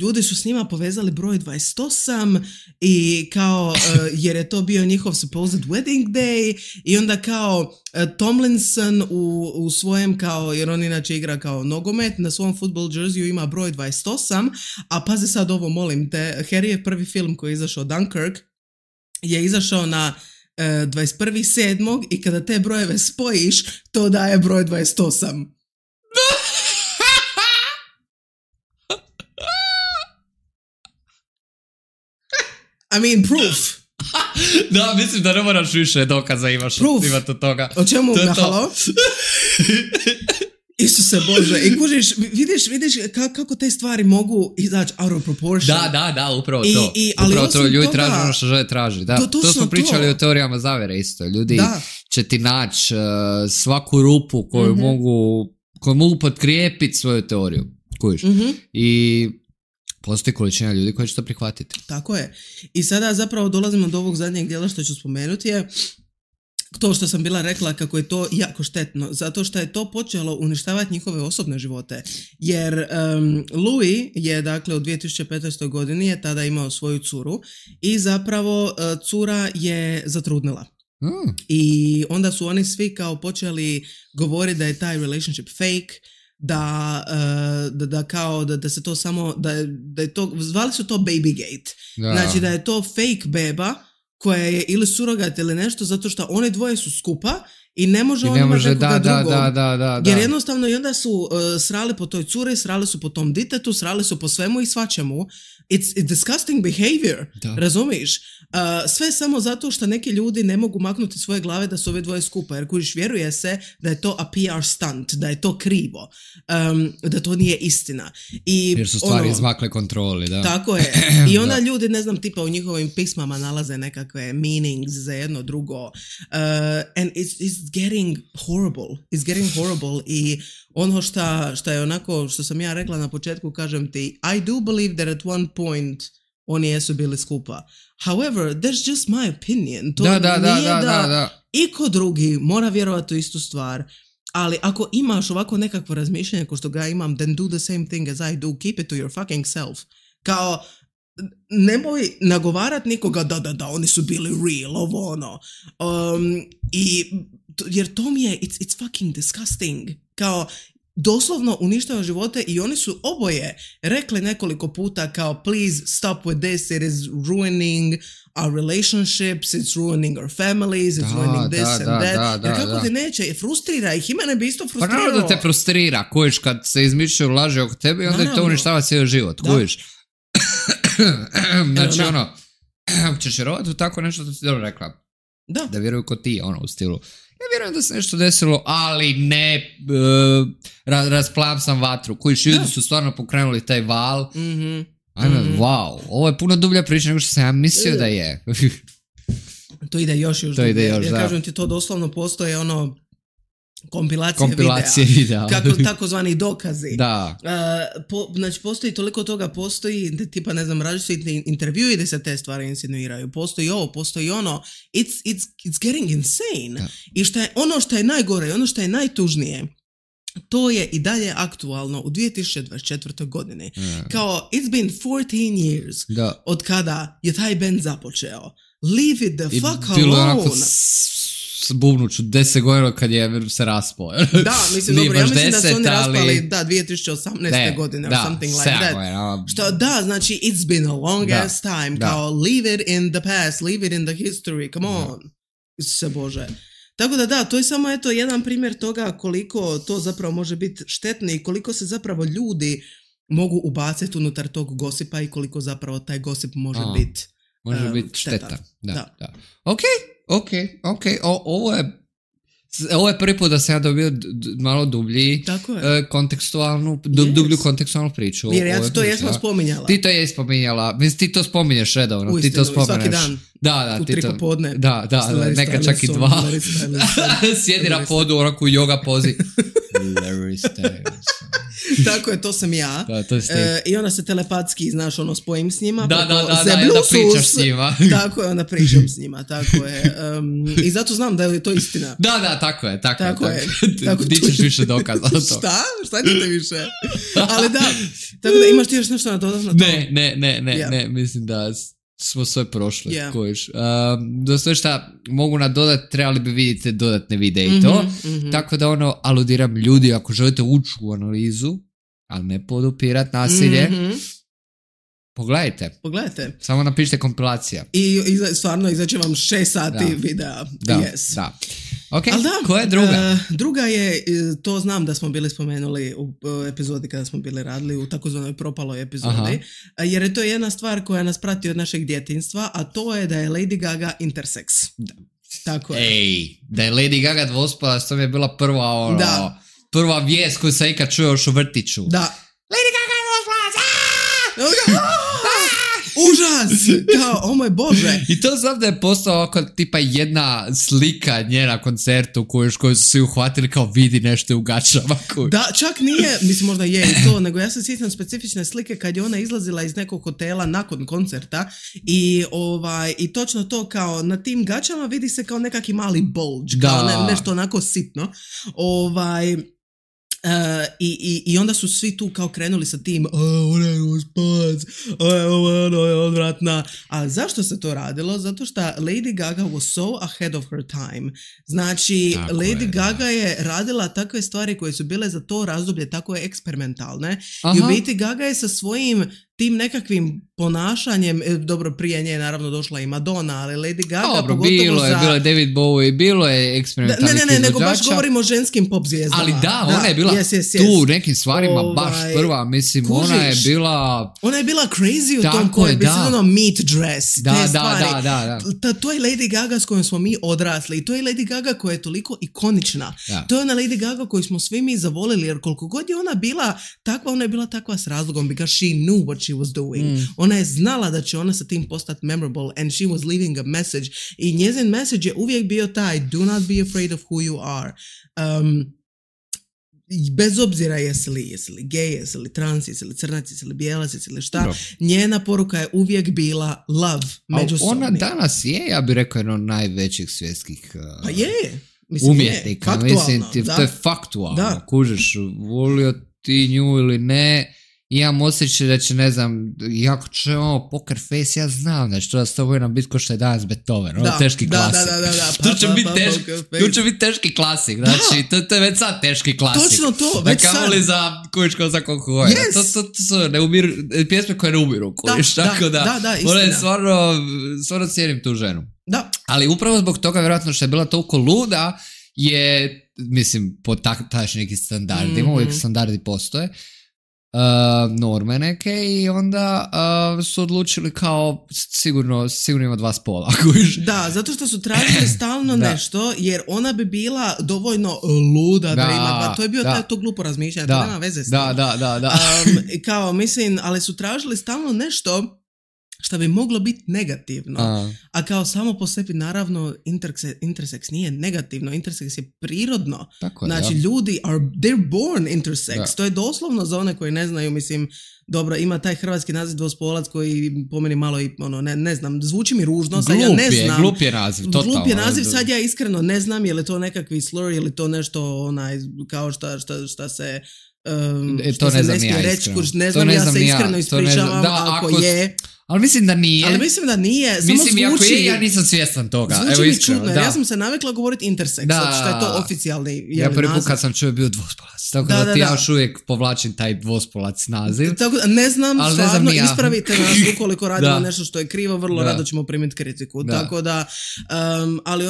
ljudi su s njima povezali broj 28 i kao jer je to bio njihov supposed wedding day i onda kao Tomlinson u svojem kao, jer on inače igra kao nogomet, na svom football jerseyu ima broj 28, a pazi sad ovo, molim te, Harryjev prvi film koji je izašao, Dunkirk, je izašao na 21.7. i kada te brojeve spojiš, to daje broj 28. I mean, proof. Da, mislim da ne moraš više dokaza imaš od toga. O čemu halo? Isuse Bože, i kužiš, vidiš kako te stvari mogu izaći out of proportion. Da, upravo to. Upravo to, ljudi traže ono što žele traži. Da, to smo pričali o teorijama zavere isto. Ljudi će ti naći svaku rupu koju mogu potkrijepiti svoju teoriju. Kužiš. I postoji količina ljudi koji će to prihvatiti. Tako je. I sada zapravo dolazimo do ovog zadnjeg dijela što ću spomenuti je to što sam bila rekla kako je to jako štetno, zato što je to počelo uništavati njihove osobne živote. Jer Louis je, dakle, u 2015. godini je tada imao svoju curu i zapravo cura je zatrudnila. I onda su oni svi kao počeli govoriti da je taj relationship fake, da se to samo, da je to, zvali su to babygate. Znači da je to fake beba koja je ili surogat ili nešto, zato što one dvoje su skupa i ne može on imati nekoga drugog. Jer jednostavno i onda su srali po toj curi, srali su po tom ditetu, srali su po svemu i svačemu. It's disgusting behavior, razumiš? Sve samo zato što neki ljudi ne mogu maknuti svoje glave da su ove dvoje skupa, jer kužiš, vjeruje se da je to a PR stunt, da je to krivo, da to nije istina. Jer su stvari izmakle kontroli, da. Tako je. I onda ljudi, ne znam, tipa u njihovim pismama nalaze nekakve meanings za jedno drugo. And it's It's getting horrible i ono šta je onako, što sam ja rekla na početku, kažem ti, I do believe that at one point oni jesu bili skupa. However, that's just my opinion. To nije da iko drugi mora vjerovati u istu stvar. Ali ako imaš ovako nekakvo razmišljanje ko što ga imam, then do the same thing as I do. Keep it to your fucking self. Kao, nemoj nagovarat nikoga da, oni su bili real, ovo ono. Jer to mi je, it's fucking disgusting. Kao, doslovno uništava živote i oni su oboje rekli nekoliko puta kao please stop with this, it is ruining our relationships, it's ruining our families, it's ruining this and that. Jer kako ti neće, frustrira ih, i mene bi isto frustriralo. Pa naravno da te frustrira, kojiš kad se izmišljaju laže oko tebe i onda je to uništava cijeli život, kojiš. Znači ćeš vjerovati u tako nešto što ti dobro rekla. Da vjeruju ko ti, u stilu. Ja vjerujem da se nešto desilo, ali ne rasplavam sam vatru. Kojiš, ljudi su stvarno pokrenuli taj val. Wow, ovo je puno dublja priča nego što sam ja mislio da je. To ide još dublje. Ja kažem ti, to doslovno postoje kompilacije videa. Kako takozvani dokazi. Da. Znači postoji toliko toga, postoji tipa ne znam različiti intervjui gdje se te stvari insinuiraju, postoji ovo, postoji ono. It's getting insane. Da. I što je najgore, ono što je najtužnije, to je i dalje aktualno u 2024. godini. Kao, it's been 14 years od kada je taj band započeo. Leave it the fuck alone. Bubnuću 10 godina kad je se raspao. Da, mislim, dobro, ja mislim da su oni raspali 2018. godine or something like that. Znači, it's been a long ass time. Kao, leave it in the past, leave it in the history, come on. Se Bože. Tako da to je samo jedan primjer toga koliko to zapravo može biti štetno i koliko se zapravo ljudi mogu ubaciti unutar tog gosipa i koliko zapravo taj gosip može biti šteta. Da. Ok. Ovo je prvi put da sam ja dobio malo dublji dublju kontekstualnu priču. Jer ja to jesmo spominjala. Ti to je spominjala. Mislim, ti to spominješ redovno. Uistinu, ti to spomeneš. Svaki dan. Da, u 3 popodne. Da, neka čak i 2. Sjedi na podu, onako u yoga pozi. Larry Styles. Tako je, to sam ja. Da, to I ona se telepatski, znaš, spojim s njima. Da, pričaš s njima. Tako je, onda pričam s njima, tako je. I zato znam da je to istina. Da, tako je. Ti ćeš više dokaza o to. Šta ćete više? Ali da, tako da imaš ti još nešto na dodatno to? Ne, mislim da smo sve prošli. Kojiš. Do sve šta mogu nadodati, trebali bi vidjeti dodatne videe i to. Tako da aludiram ljudi, ako želite ući u analizu, ali ne podupirat nasilje, Pogledajte. Samo napišite kompilacija. I stvarno izaće vam 6 sati videa. Da. Ok, koja je druga? Druga je, to znam da smo bili spomenuli u epizodi kada smo bili radili, u takozvanoj propaloj epizodi, jer je to jedna stvar koja nas prati od našeg djetinjstva, a to je da je Lady Gaga intersex. Tako je. Da je Lady Gaga dvospola, to mi je bila prva vijest koju sam ikad čuo još u vrtiću. Da. Lady Gaga je dvospola! Užas! Kao, moj Bože! I to znam da je postao ovako tipa jedna slika nje na koncertu koju su svi uhvatili kao vidi nešto u gačama. Da, čak nije, mislim možda je i to, nego ja se sjećam specifične slike kad je ona izlazila iz nekog hotela nakon koncerta i točno to kao na tim gačama vidi se kao nekakvi mali bulge, kao nešto onako sitno. I onda su svi tu kao krenuli sa tim ona je uspac, ona je odvratna. A zašto se to radilo? Zato što Lady Gaga was so ahead of her time. Znači, tako Lady Gaga je radila takve stvari koje su bile za to razdoblje tako eksperimentalne. I u biti Gaga je sa svojim tim nekakvim ponašanjem, dobro, prije nje je naravno došla i Madonna, ali Lady Gaga pogotovo bilo je David Bowie, bilo je eksperimentalnih izvođača. Ne, nego baš govorimo o ženskim pop zvijezdama. Ali ona je bila tu u nekim stvarima baš prva, mislim, kužiš, ona je bila crazy u tom kojem, mislim, meat dress, te stvari. Da. To je Lady Gaga s kojom smo mi odrasli i to je Lady Gaga koja je toliko ikonična. To je ona Lady Gaga koju smo svi mi zavolili, jer koliko god je ona bila takva s razlogom, because she knew what she was doing. Ona je znala da će ona sa tim postati memorable and she was leaving a message. I njezin message je uvijek bio taj do not be afraid of who you are. Bez obzira jesi li gej, jesi li trans, jesi li crnac, jesi li bijelac, jesi li šta, njena poruka je uvijek bila love međusobni. Ona danas je, ja bih rekao, jedno od najvećih svjetskih pa je. Umjetnika, mislim, to je faktualno. Kužiš, volio ti nju ili ne, imam osjećaj da će, ne znam, jako će poker face, ja znam da će to da s toboj nam biti ko što je danas Beethoven, teški klasik. Tu će biti teški klasik, znači, to je već sad teški klasik. Točno to, već sad. Kamoli za kujičko za kokoja. To su pjesme koje ne umiru, kujiš, tako da, stvarno cijenim tu ženu. Da. Ali upravo zbog toga, vjerojatno što je bila toliko luda, je, mislim, po tadašnjim nekim standardima, uvijek standardi postoje, norme neke, i onda su odlučili kao sigurno ima dva spola. Da, zato što su tražili stalno nešto, jer ona bi bila dovoljno luda da ima dva. To je bio to glupo razmišljanje, to nema veze s tim. Kao, mislim, ali su tražili stalno nešto što bi moglo biti negativno. A kao samo po sebi, naravno, intersex nije negativno, intersex je prirodno. Tako, znači, ljudi they're born intersex. To je doslovno za one koji ne znaju, mislim, dobro, ima taj hrvatski naziv dvospolac koji po meni malo i, ne znam, zvuči mi ružno, sad ja ne znam. Glup je naziv, totalno. Glup je naziv, sad ja iskreno ne znam, je li to nekakvi slur, je li to nešto, kao šta se... to ne znam ja iskreno. Ne znam, ja se iskreno ispričavam, ako je... Ali mislim da nije. Mislim, ako je, ja nisam svjestan toga. Zvuči mi čudno, jer ja sam se navikla govoriti intersex, što je to oficijalni naziv. Ja prvi put kad sam čuo bio dvospolac, tako da ti ja još uvijek povlačim taj dvospolac naziv. Tako da, ne znam, stvarno, ispravite nas ukoliko radimo nešto što je krivo, vrlo rado ćemo primiti kritiku. Tako da, ali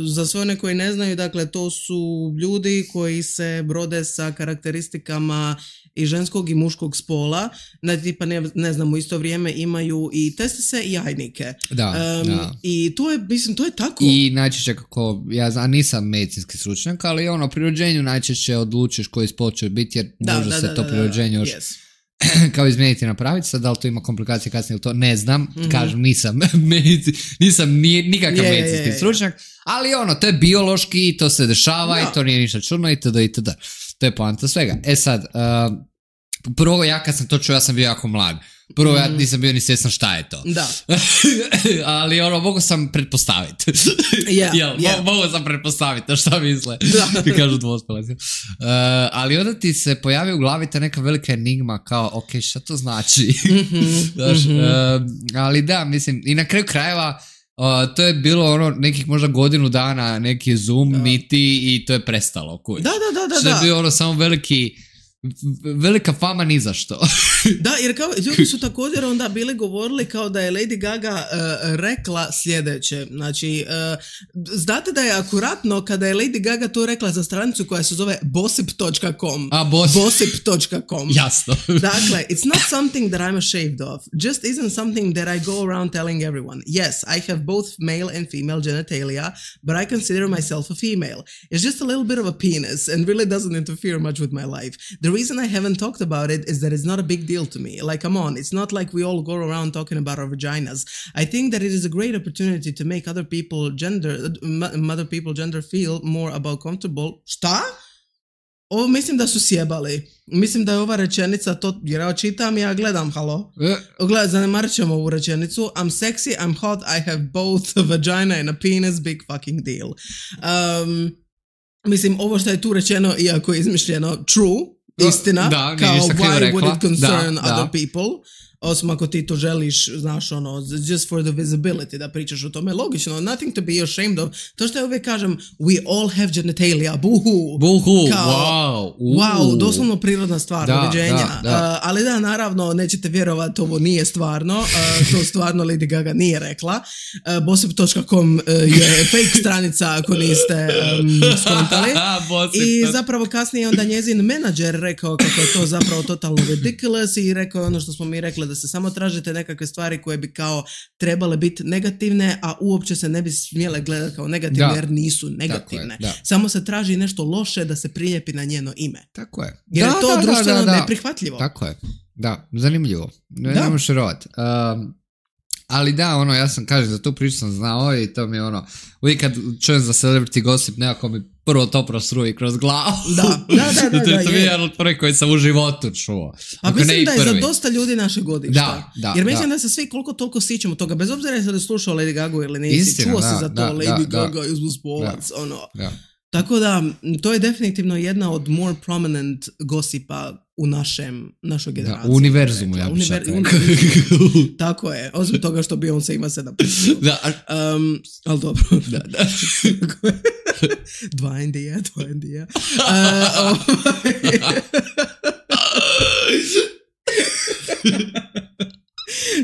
za sve one koji ne znaju, dakle, to su ljudi koji se brode sa karakteristikama i ženskog i muškog spola, tipa ne znam, u isto vrijeme imaju i testise i jajnike. I to je, mislim, to je tako. I najčešće kako, ja nisam medicinski stručnjak, ali pri rođenju najčešće odlučiš koji spol će biti, jer može se to pri rođenju još kao izmijeniti, napraviti. Sad, da li to ima komplikacije kasnije ili to, ne znam. Kažem, nisam nikakav medicinski stručnjak, ali to je biološki, to se dešava i to nije ništa čudno itd. To je poanta svega. Sad, prvo ja kad sam to čuo, ja sam bio jako mlad. Prvo ja nisam bio ni svjestan šta je to. Da. Ali mogu sam pretpostaviti. Mogu sam pretpostaviti šta misle. Ti kažu dvospolac. Ali onda ti se pojavi u glavi ta neka velika enigma kao, ok, šta to znači? Ali da, mislim, i na kraju krajeva to je bilo nekih možda godinu dana, neki Zoom, niti, i to je prestalo. Da. Što je bio samo velika fama ni za što. Da, jer kao ljudi su također onda bili govorili kao da je Lady Gaga rekla sljedeće. Znači, znate da je akuratno kada je Lady Gaga to rekla za stranicu koja se zove bossip.com. Bossip.com. Jasno. Dakle, it's not something that I'm ashamed of. Just isn't something that I go around telling everyone. Yes, I have both male and female genitalia, but I consider myself a female. It's just a little bit of a penis and really doesn't interfere much with my life. The reason I haven't talked about it is that it's not a big deal to me. Like, come on, it's not like we all go around talking about our vaginas. I think that it is a great opportunity to make other people gender feel more about comfortable. Šta? Ovo mislim da su sjebali. Mislim da je ova rečenica to, jer ja čitam i ja gledam, halo? Zanemarit ćemo ovu rečenicu. I'm sexy, I'm hot, I have both a vagina and a penis, big fucking deal. Mislim, ovo što je tu rečeno, iako je izmišljeno, true, istina, kao why would it concern other people, osim ako ti to želiš, znaš, just for the visibility da pričaš o tome, logično, nothing to be ashamed of. To što ja uvijek kažem, we all have genitalia, buhu, kao, wow, doslovno prirodna stvar, uređenja. Ali da, naravno, nećete vjerovati, ovo nije stvarno, to stvarno Lady Gaga nije rekla. Bossip.com je fake stranica, ako niste skontali. I zapravo kasnije onda njezin menadžer rekao kako je to zapravo totalno ridiculous i rekao ono što smo mi rekli, da se samo tražite nekakve stvari koje bi kao trebale biti negativne, a uopće se ne bi smjele gledati kao negativne, jer nisu negativne. Samo se traži nešto loše da se prilijepi na njeno ime. Tako je. Jer je to društveno neprihvatljivo. Tako je. Da, zanimljivo. Ne možeš vjerovati. Ali da, ja sam, kažem, za tu priču sam znao i to mi je uvijek kad čujem za celebrity gossip, nekako mi prvo to prostruji kroz glavu. Da. To mi je jedan od prvih koji sam u životu čuo. A mislim da je za dosta ljudi naše godišta. Da, jer mislim da se svi koliko toliko sjećamo toga, bez obzira je da slušao Lady Gaga ili nisi, čuo si za to, Lady Gaga je uspolac, Tako da, to je definitivno jedna od more prominent gossipa u našoj generaciji. U univerzumu, ja bih šak rekao. Tako je, osim toga što Beyoncé ima 7%. Ali dobro. Da. Dva Indija.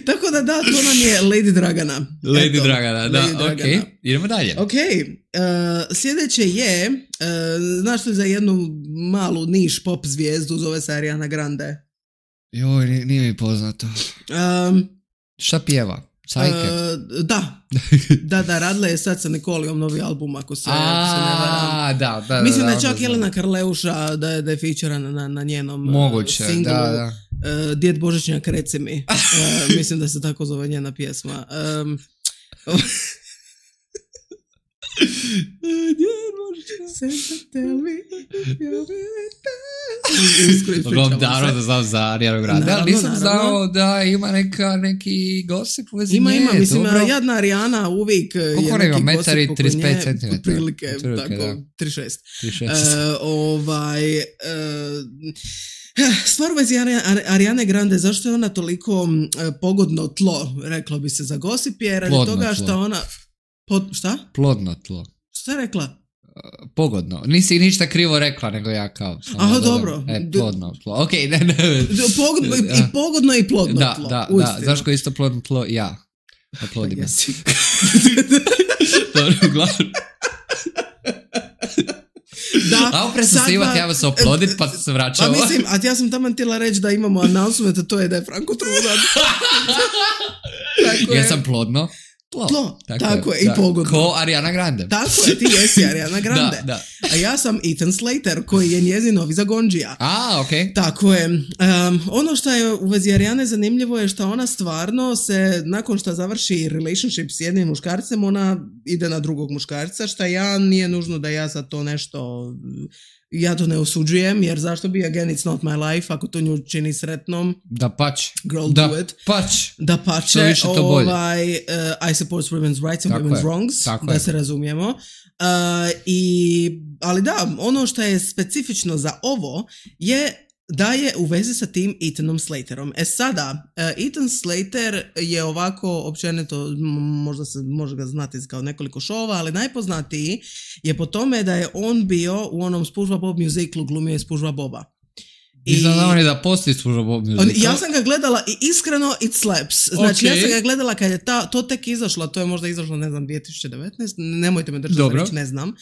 Tako da, to nam je Lady Dragana. Lady Dragana, da, ok. Idemo dalje. Ok, sljedeće je, znaš li za jednu malu niš pop zvijezdu, zove se Ariana Grande? Joj, nije mi poznato. Šta pjeva? Cajke? Da, radila je sad sa Nikolijom novi album, ako se ne varam. Da. Mislim da je čak Jelena Karleuša da je featurana na njenom singlu. Da. Djed Božićnjak, reci mi. Mislim da se tako zove njena pjesma. Naravno da znam za Arianu Grande, ali nisam znao da ima neki gosip u vezi nje. Ima, mislim, jadna Arijana uvijek je neki gosip oko nje. 35 cm. Otprilike, tako, 36. Stvar u vezi Arijane Grande, zašto je ona toliko pogodno tlo, reklo bi se za gosip, je radi toga što ona... Šta? Plodno tlo. Šta je rekla? Pogodno. Nisi ništa krivo rekla, nego ja kao... Aha, dobro. Plodno tlo. Ok, ne. I pogodno i plodno tlo. Da. Zašto je isto plodno tlo? Ja. Oplodim. Dobro, uglavnom. Da, a opre sam se imati, ja se oplodit, pa se vraćao. Pa mislim, a ja sam tamo htjela reći da imamo announcement, a to je da je Franko trudan. Jesam plodno? Tlo. Tako je, i pogodno. Ko Ariana Grande. Tako je, ti jesi Ariana Grande. Da. A ja sam Ethan Slater, koji je njezin novi Zagondžija. Ok. Tako je. Ono što je u vezi Arijane zanimljivo je što ona stvarno se, nakon što završi relationship s jednim muškarcem, ona ide na drugog muškarca, što nije nužno da ja sad to nešto... Ja to ne osuđujem, jer zašto bi again it's not my life, ako to nju čini sretnom. Da pač. Girl, do it. Da pače. I support women's rights and women's wrongs, da se razumijemo. Ali da, ono što je specifično za ovo je da je u vezi sa tim Ethanom Slaterom. Sada, Ethan Slater je ovako, općenito, možda se može ga znati kao nekoliko šova, ali najpoznatiji je po tome da je on bio u onom SpongeBob Bob musiclu, glumio je SpongeBob Boba. Nisam znao ni da postoji SpongeBob Bob musical. Ja sam ga gledala i iskreno it slaps. Znači, ja sam ga gledala kad je to tek izašlo, to je možda izašlo, ne znam, 2019, nemojte me držati reći, ne znam.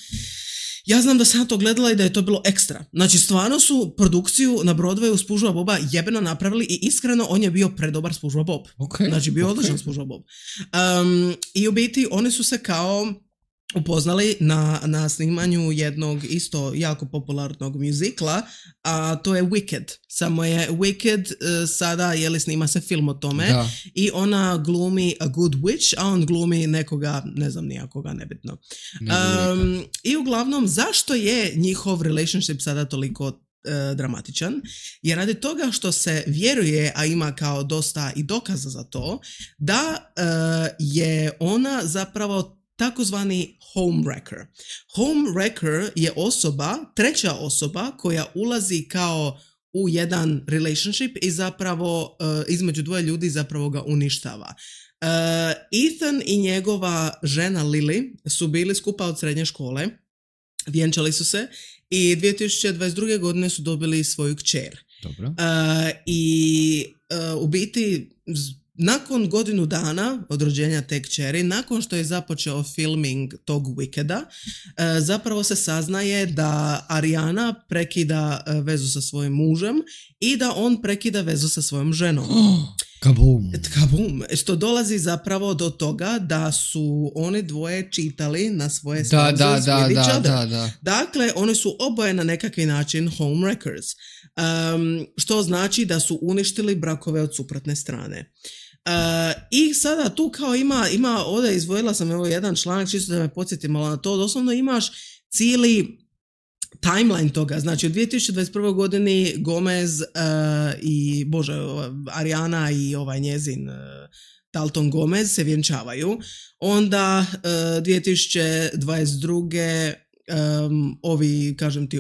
Ja znam da sam to gledala i da je to bilo ekstra. Znači, stvarno su produkciju na Broadwayu SpongeBob Boba jebeno napravili i iskreno on je bio predobar SpongeBob Bob. Znači, bio odličan SpongeBob Bob. I u biti, oni su se kao upoznali na snimanju jednog isto jako popularnog muzikla, a to je Wicked. Samo je Wicked sada, snima se film o tome i ona glumi a good witch, a on glumi nekoga, ne znam nijakoga, nebitno. I uglavnom, zašto je njihov relationship sada toliko dramatičan? Jer radi toga što se vjeruje, a ima kao dosta i dokaza za to, da je ona zapravo takozvani homewrecker. Homewrecker je treća osoba koja ulazi kao u jedan relationship i zapravo između dvoje ljudi zapravo ga uništava. Ethan i njegova žena Lily su bili skupa od srednje škole, vjenčali su se i 2022. godine su dobili svoju kćer. Dobro. U biti nakon godinu dana od rođenja te kćeri, nakon što je započeo filming tog Wickeda, zapravo se saznaje da Ariana prekida vezu sa svojim mužem i da on prekida vezu sa svojom ženom. Kabum. Što dolazi zapravo do toga da su oni dvoje čitali na svoje spouses with each other. Da. Dakle, oni su oboje na nekakvi način homewreckers. Što znači da su uništili brakove od suprotne strane. I sada tu kao ima ovdje izvojila sam jedan članak čisto da me podsjetim, ali na to doslovno imaš cijeli timeline toga. Znači u 2021. godini Gomez Ariana i njezin Dalton Gomez se vjenčavaju. Onda 2022.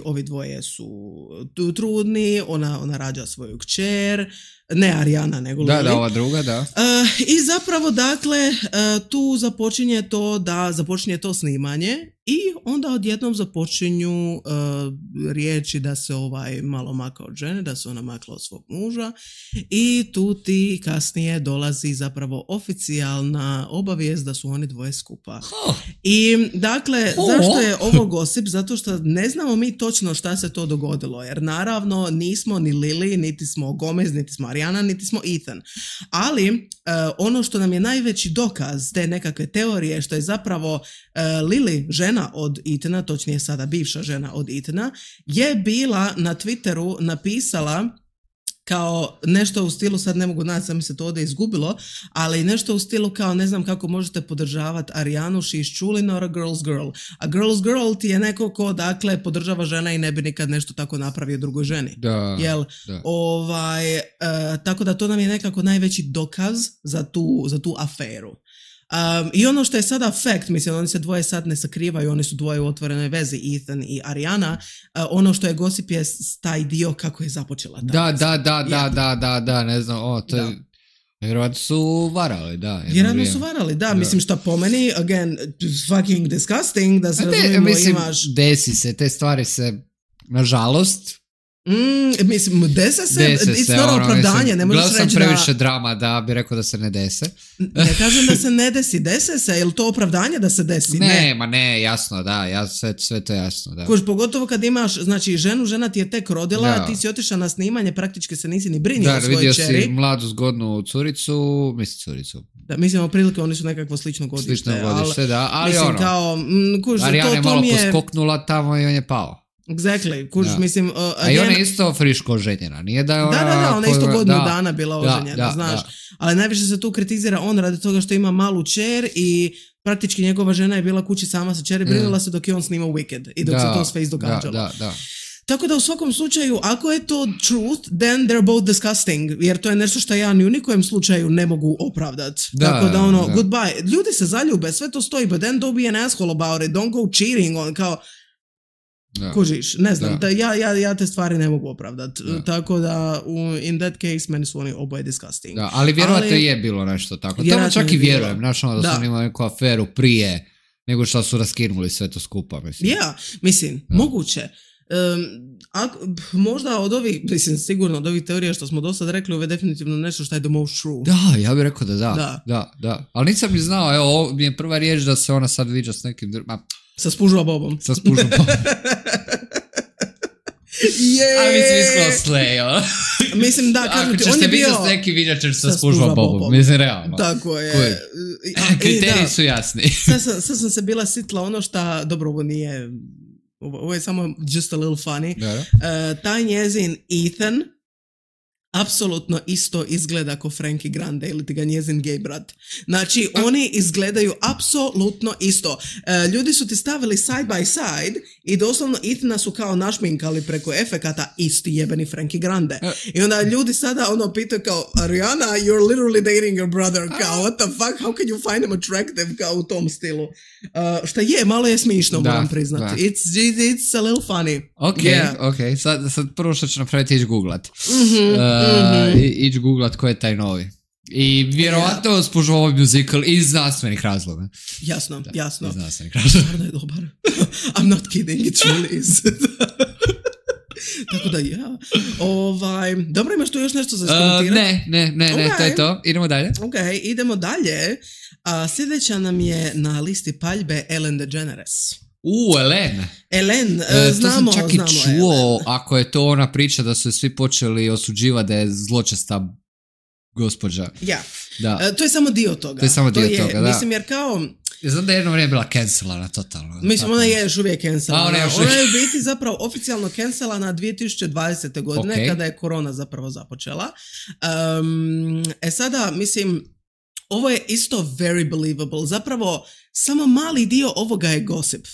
Ovi dvoje su trudni, ona rađa svoju kćer, ne Ariana nego Lily. Da, ova druga, da. I zapravo, dakle, tu započinje to snimanje i onda odjednom započinju riječi da se malo maka od žene, da se ona makla od svog muža i tu ti kasnije dolazi zapravo oficijalna obavijest da su oni dvoje skupa. I dakle, zašto je ovo gosip? Zato što ne znamo mi točno šta se to dogodilo, jer naravno nismo ni Lily, niti smo Gomez, niti smo Ariana, niti smo Ethan. Ali ono što nam je najveći dokaz te nekakve teorije, što je zapravo Lily, žena od Ethana, točnije sada bivša žena od Ethana, je bila na Twitteru napisala kao nešto u stilu, sad ne mogu naći, sam mi se to ovdje izgubilo, ali nešto u stilu kao ne znam kako možete podržavati Arianu, she's truly not a girl's girl. A girl's girl ti je neko ko, dakle, podržava žena i ne bi nikad nešto tako napravio drugoj ženi. Da, jel? Da. Tako da to nam je nekako najveći dokaz za tu aferu. I ono što je sada fact, mislim, oni se dvoje sad ne sakrivaju, oni su dvoje u otvorenoj vezi, Ethan i Ariana. Ono što je gossip je taj dio kako je započela. Da, ne znam, to je... Vjerovatno su varali, da. Mislim, šta po meni, again, fucking disgusting, da se razumimo, imaš... Desi se, te stvari se, nažalost... Mislim, dese se, it's not opravdanje, ne možeš reći da... Gledao sam previše drama da bi rekao da se ne dese. Ne kažem da se ne desi, dese se, je li to opravdanje da se desi? Ne, jasno, da, sve to je jasno, da. Pogotovo kad imaš, znači, žena ti je tek rodila, ti si otišao na snimanje, praktički se nisi ni brinio o svojoj vidio čeri. Si mladu zgodnu curicu. Da, mislim, otprilike oni su nekakvo slično godište. Ali mislim, kao, Ariana je malo poskoknula tamo i on je pao. Exactly, mislim... I ona je isto friško oženjena, nije da je ona... Da, ona je isto godinu dana bila oženjena, znaš. Ali najviše se tu kritizira on radi toga što ima malu čer i praktički njegova žena je bila kući sama sa čeri, brinula se dok je on snimao Wicked i dok se to sve izdogađalo. Da. Tako da u svakom slučaju, ako je to truth, then they're both disgusting, jer to je nešto što ja ni u nikojem slučaju ne mogu opravdati. Tako da goodbye. Ljudi se zaljube, sve to stoji, but then don't be an asshole about it, don't go cheating on, kao... Kužiš, ne znam, ja te stvari ne mogu opravdati. Tako da, in that case, meni su oni oboje disgusting. Da, ali vjerovatno je bilo nešto tako. To čak i vjerujem, da su oni imali neku aferu prije nego što su raskinuli sve to skupa, mislim. Mislim, moguće. Možda od ovih, mislim, sigurno od ovih teorija što smo do sad rekli, ovo je definitivno nešto što je the most true. Da, ja bih rekao da. Ali nisam ni znao, evo, ovo mi je prva riječ da se ona sad viđa s nekim sa spužva bobom. A mislim isklo slejo. Mislim da, kažem ti, on je bio... Ako ćeš se neki vidjeti ćeš sa spužva bobom. Mislim, realno. Tako je. Kriteriji su jasni. Sad sam se bila sitla ono što, dobro, ovo nije... Ovo je samo just a little funny. Taj njezin Ethan apsolutno isto izgleda ko Frankie Grande ili ti ga njezin gay brat. Znači, oni izgledaju apsolutno isto. Ljudi su ti stavili side by side i doslovno Ethana su kao našminkali preko efekata isti jebeni Frankie Grande. I onda ljudi sada pitaju kao, Ariana, you're literally dating your brother. Kao, what the fuck, how can you find him attractive? Kao u tom stilu. Šta je, malo je smišno, moram priznati. It's a little funny. Ok. Sad prvo što ću napraviti ići googlat. Ići googlat ko je taj novi. I vjerovatno spužu ovaj musical iz znanstvenih razloga. Jasno. Iz znanstvenih razloga. Stvarno je dobar. I'm not kidding, it really is. Tako da dobro, imaš tu još nešto za skomentirati? Ne, to je to. Idemo dalje. Ok, idemo dalje. Sljedeća nam je na listi paljbe Ellen DeGeneres. Ellen, znamo. To sam čak i čuo, ako je to ona priča da su svi počeli osuđivati da je zločesta gospođa. Ja. Da. To je samo dio toga. Da. Mislim, jer kao... Znam da je jedno vrijeme bila cancelana totalno. Mislim, ona je još uvijek cancelana. Ona je u biti zapravo oficijalno cancelana 2020. godine, kada je korona zapravo započela. Sada, mislim, ovo je isto very believable. Zapravo, samo mali dio ovoga je gossip.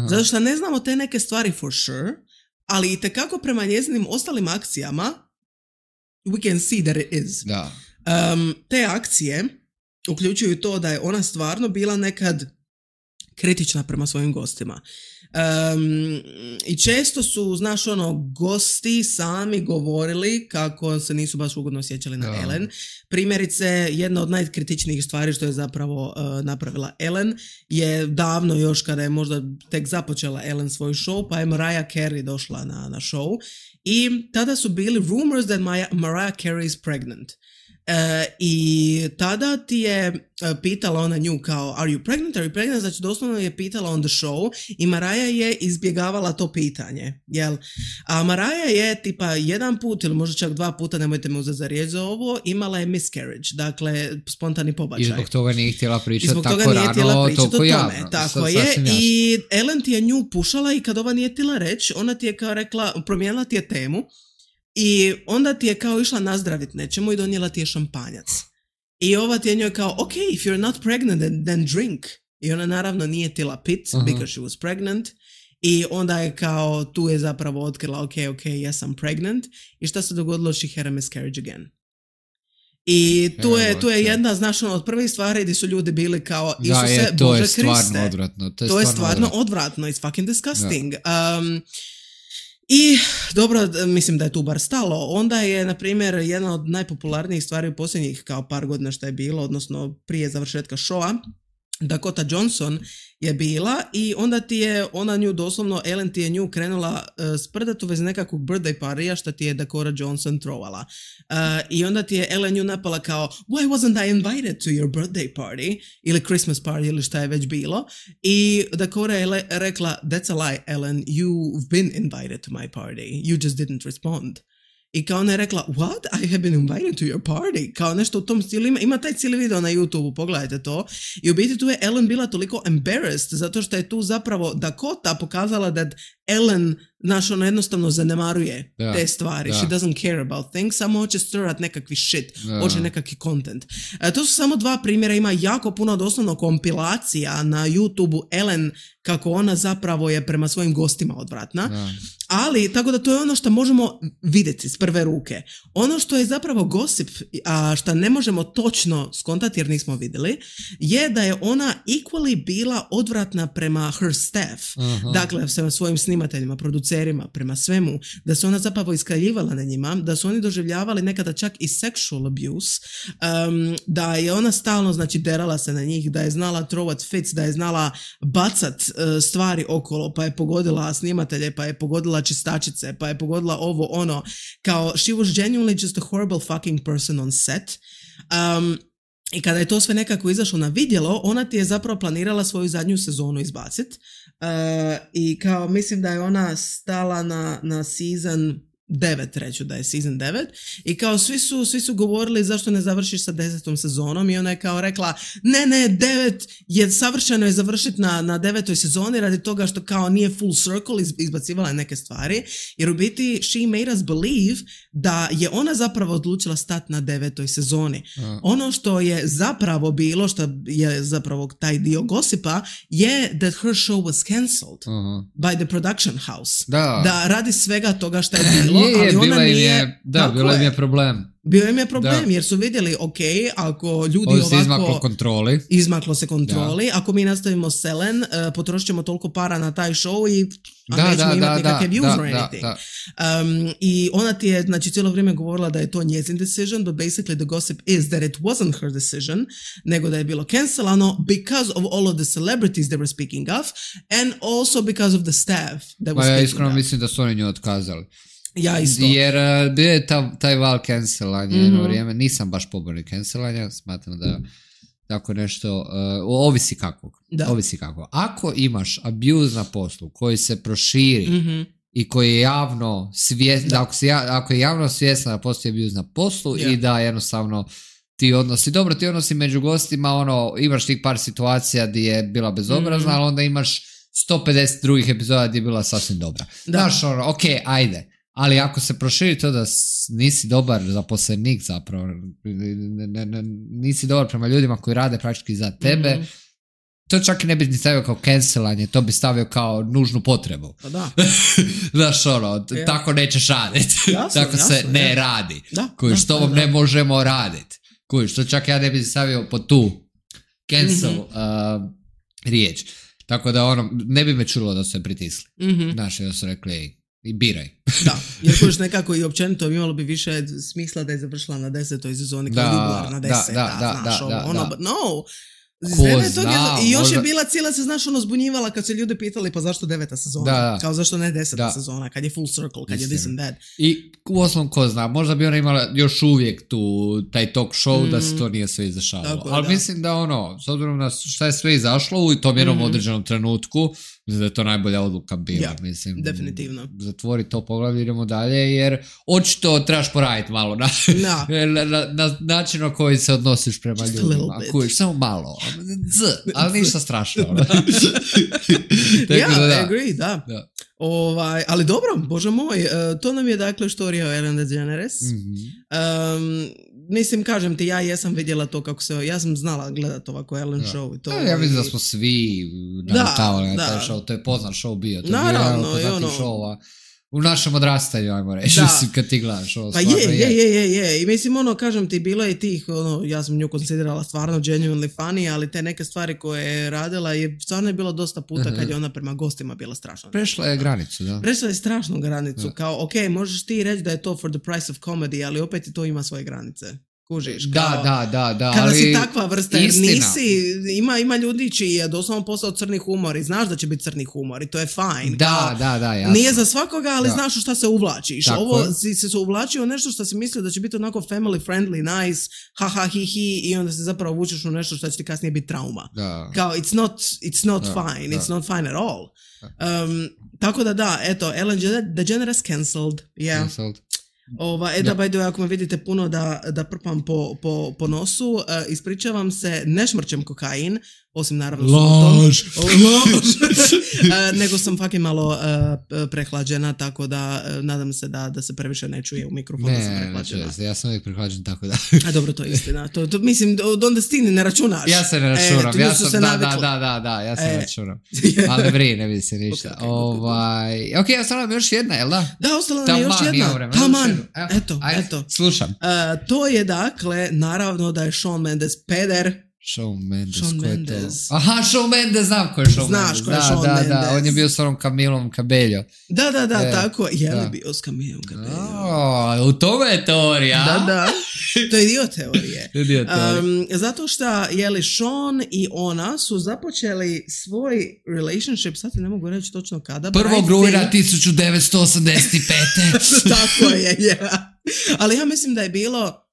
Zato što ne znamo te neke stvari for sure, ali itekako prema njezinim ostalim akcijama we can see that it is. Da. Te akcije uključuju to da je ona stvarno bila nekad kritična prema svojim gostima. I često su, znaš, gosti sami govorili kako se nisu baš ugodno osjećali na Ellen. Primjerice, jedna od najkritičnijih stvari što je zapravo napravila Ellen je davno još kada je možda tek započela Ellen svoj show, pa je Mariah Carey došla na show i tada su bili rumors that Mariah Carey is pregnant. I tada ti je pitala ona nju kao are you pregnant? Znači doslovno je pitala on the show i Mariah je izbjegavala to pitanje, jel? A Mariah je tipa jedan put ili možda čak 2 puta, nemojte me uzeti za riječ za ovo, imala je miscarriage, dakle spontani pobačaj. I zbog toga nije htjela pričati tako rano, toliko javno. Tako je, i Ellen ti je nju pušala i kad ova nije htjela reći, ona ti je kao rekla, promijenila ti je temu. I onda ti je kao išla nazdravit nečemu i donijela ti je šampanjac. I ova ti je njoj kao, ok, if you're not pregnant, then drink. I ona naravno nije htjela pit, because she was pregnant. I onda je kao, tu je zapravo otkrila, ok, yes, I'm pregnant. I šta se dogodilo? She had a miscarriage again. I tu je jedna, znaš, od prvih stvari gdje su ljudi bili kao, Isuse, Bože Kriste. To je stvarno odvratno. It's fucking disgusting. I dobro, mislim da je tu bar stalo. Onda je, na primjer, jedna od najpopularnijih stvari u posljednjih kao par godina što je bilo, odnosno prije završetka showa, Dakota Johnson je bila i onda ti je ona nju doslovno, Ellen ti je nju krenula sprdati u vezi nekakvog birthday parija što ti je Dakota Johnson trovala. I onda ti je Ellen nju napala kao why wasn't I invited to your birthday party ili Christmas party ili šta je već bilo. I Dakota je rekla that's a lie, Ellen, you've been invited to my party, you just didn't respond. I kao ona je rekla, what? I have been invited to your party. Kao nešto u tom stilu. Ima taj cijeli video na YouTube, pogledajte to. I u biti tu je Ellen bila toliko embarrassed zato što je tu zapravo Dakota pokazala da Ellen, znaš, ona jednostavno zanemaruje te stvari. She doesn't care about things, samo hoće stirrat nekakvi shit, hoće nekakvi content. To su samo 2 primjera, ima jako puno doslovno kompilacija na YouTube-u Ellen kako ona zapravo je prema svojim gostima odvratna. Ali, tako da to je ono što možemo vidjeti s prve ruke. Ono što je zapravo gossip, a što ne možemo točno skontati jer nismo vidjeli, je da je ona equally bila odvratna prema her staff. Dakle, sa svojim snimateljima, producerima, prema svemu, da se ona zapravo iskaljivala na njima, da su oni doživljavali nekada čak i sexual abuse, da je ona stalno, znači, derala se na njih, da je znala trovat fits, da je znala bacat stvari okolo, pa je pogodila snimatelje, pa je pogodila čistačice, pa je pogodila ovo, ono, kao she was genuinely just a horrible fucking person on set. I kada je to sve nekako izašlo na vidjelo, ona ti je zapravo planirala svoju zadnju sezonu izbacit. I kao mislim da je ona stala na season 9, reću da je season 9, i kao svi su govorili zašto ne završiš sa 10. sezonom i ona je kao rekla ne, 9 je savršeno je završiti na 9. sezoni radi toga što kao nije full circle, izbacivala je neke stvari, jer u biti she made us believe da je ona zapravo odlučila stati na 9. sezoni. Ono što je zapravo bilo, što je zapravo taj dio gosipa, je that her show was cancelled by the production house. Da radi svega toga što je bilo, ali ona nije... Bilo im je problem. Bio im je problem, jer su vidjeli, ok, ako ljudi ovako... Izmaklo se kontroli. Ako mi nastavimo selen, potrošit ćemo toliko para na taj show i nećemo imati nikakve views or anything. I ona ti je, znači, cijelo vrijeme govorila da je to njezin decision, but basically the gossip is that it wasn't her decision, nego da je bilo cancelano because of all of the celebrities they were speaking of, and also because of the staff that was speaking of. Ja iskreno mislim da su oni nju otkazali. Ja isto. Jer bio je taj val cancelanja jedno vrijeme, nisam baš pobornik cancelanja, smatram da tako nešto, ovisi kako. Ako imaš abuse na poslu koji se proširi i koji je javno svjestan, ako je javno svjestan da postoji abuse na poslu i da jednostavno ti odnosi među gostima, imaš tih par situacija gdje je bila bezobrazna, ali onda imaš 150 drugih epizoda gdje je bila sasvim dobra. Znaš, ok, ajde. Ali ako se proširi to da nisi dobar zaposlenik zapravo, nisi dobar prema ljudima koji rade praktički za tebe, to čak i ne bi ni stavio kao cancelanje, to bi stavio kao nužnu potrebu. Pa da. Znaš, tako nećeš raditi. Tako se ne radi. Kojiš, to vam ne možemo raditi. Kojiš, to čak ja ne bi stavio po tu cancel riječ. Tako da ne bi me čulo da su se pritisli. Znaš, da su rekli, i biraj. Da, jer kojiš nekako i općenito imalo bi više smisla da je završila na 10. sezoni kao Juglar na 10. No, i još je bila cijela se, znaš, zbunjivala kad se ljudi pitali pa zašto 9. sezona, kao zašto ne 10. sezona, kad je full circle, kad je this and that. I u osnovom ko zna, možda bi ona imala još uvijek taj talk show da se to nije sve izašavalo. Ali mislim da s obzirom na šta je sve izašlo u tom jednom određenom trenutku, mislim da je to najbolja odluka bila. Mislim, definitivno. Zatvori to poglavlje, idemo dalje, jer očito trebaš poraditi malo na način na koji se odnosiš prema ljudima. Kujiš, samo malo. Ali ništa strašno. Agree, da. Ali dobro, bože moj, to nam je dakle štorija o Ellen DeGeneres. Mislim, kažem ti, ja jesam vidjela to kako se, ja sam znala gledati ovako Ellen show. I to, ja mislim da smo svi naletavali na taj show, to je poznat show bio. To je naravno, bio jedan od poznatih showova. U našem odrastanju, ajmo reći, kad ti gledaš ovo. Pa je. I mislim, kažem ti, bilo je tih, ja sam nju konsiderala stvarno genuinely funny, ali te neke stvari koje je radila je stvarno je bilo dosta puta kad je ona prema gostima bila strašna. Prešla je granicu, da. Prešla je strašnu granicu, kao, ok, možeš ti reći da je to for the price of comedy, ali opet i to ima svoje granice. Kužiš, kao, da. Kada si takva vrsta, jer nisi, ima ljudi čiji je doslovno postao crni humor i znaš da će biti crni humor i to je fine. Da, jasno. Nije za svakoga, ali znaš u šta se uvlačiš. Tako. Ovo si se uvlačio nešto što si mislio da će biti onako family friendly, nice, haha, hi i onda se zapravo vučeš u nešto što će ti kasnije biti trauma. Da. Kao, it's not fine, it's not fine at all. Tako da, eto, Ellen DeGeneres cancelled. Cancelled. Da, by the way, ako me vidite puno da prpam po nosu, ispričavam se, ne šmrćem kokain, osim naravno Lož. nego sam fucking malo prehlađena, tako da nadam se da se previše ne čuje u mikrofonu da sam prehlađena. Ne, ja sam uvijek prehlađen, tako da. A dobro, to je istina. To mislim, onda stini ne računaš. Ja se ne računam, ja se ne računam. Ali ne vidi se ništa. Ok, ostala nam još jedna, jel da? Da, ostala nam još jedna. Taman, eto. Slušam. To je dakle, naravno da je Shawn Mendes peder. Shawn Mendes. Aha, Shawn Mendes, znam ko je Shawn Mendes. Znaš ko je Shawn Mendes. Da, on je bio s onom Camilom Cabello. Da, tako. Je li bio s Camilom Cabello? U tome je teorija. Da. To je dio teorije. Zato što je li Shawn i ona su započeli svoj relationship, sad ti ne mogu reći točno kada. 1. rujna 1985. Tako je, Ali ja mislim da je bilo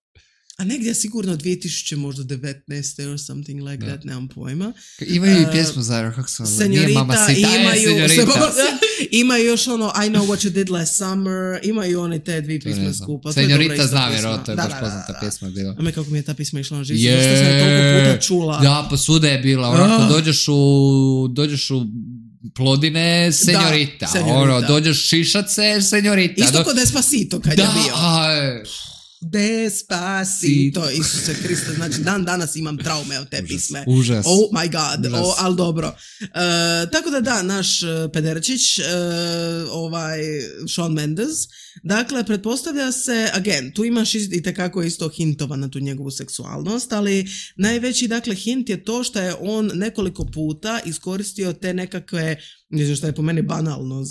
a negdje sigurno 2000 možda 19 or something like that, nemam pojma. Imaju i pjesmu zajedno, kako se ono, nije Mama Sita, imaju još ono I Know What You Did Last Summer, imaju one te dvije pjesme skupa. Senjorita znam jer to je baš poznata pjesma bila. A me kako mi je ta pjesma išla na živci, što sam je toliko puta čula. Da, pa svuda je bila, onako dođeš u Plodine, senjorita. Dođeš šišace, senjorita. Isto kod Despacito kad je bio. Despacito, Isuse Kriste, znači dan danas imam traume od te pisme. Užas. Oh my god, ali dobro. Tako da, naš pederčić, Shawn Mendes, dakle, pretpostavlja se, again, tu imaš itekako isto hintova na tu njegovu seksualnost, ali najveći, dakle, hint je to što je on nekoliko puta iskoristio te nekakve, ne znam što je po meni banalno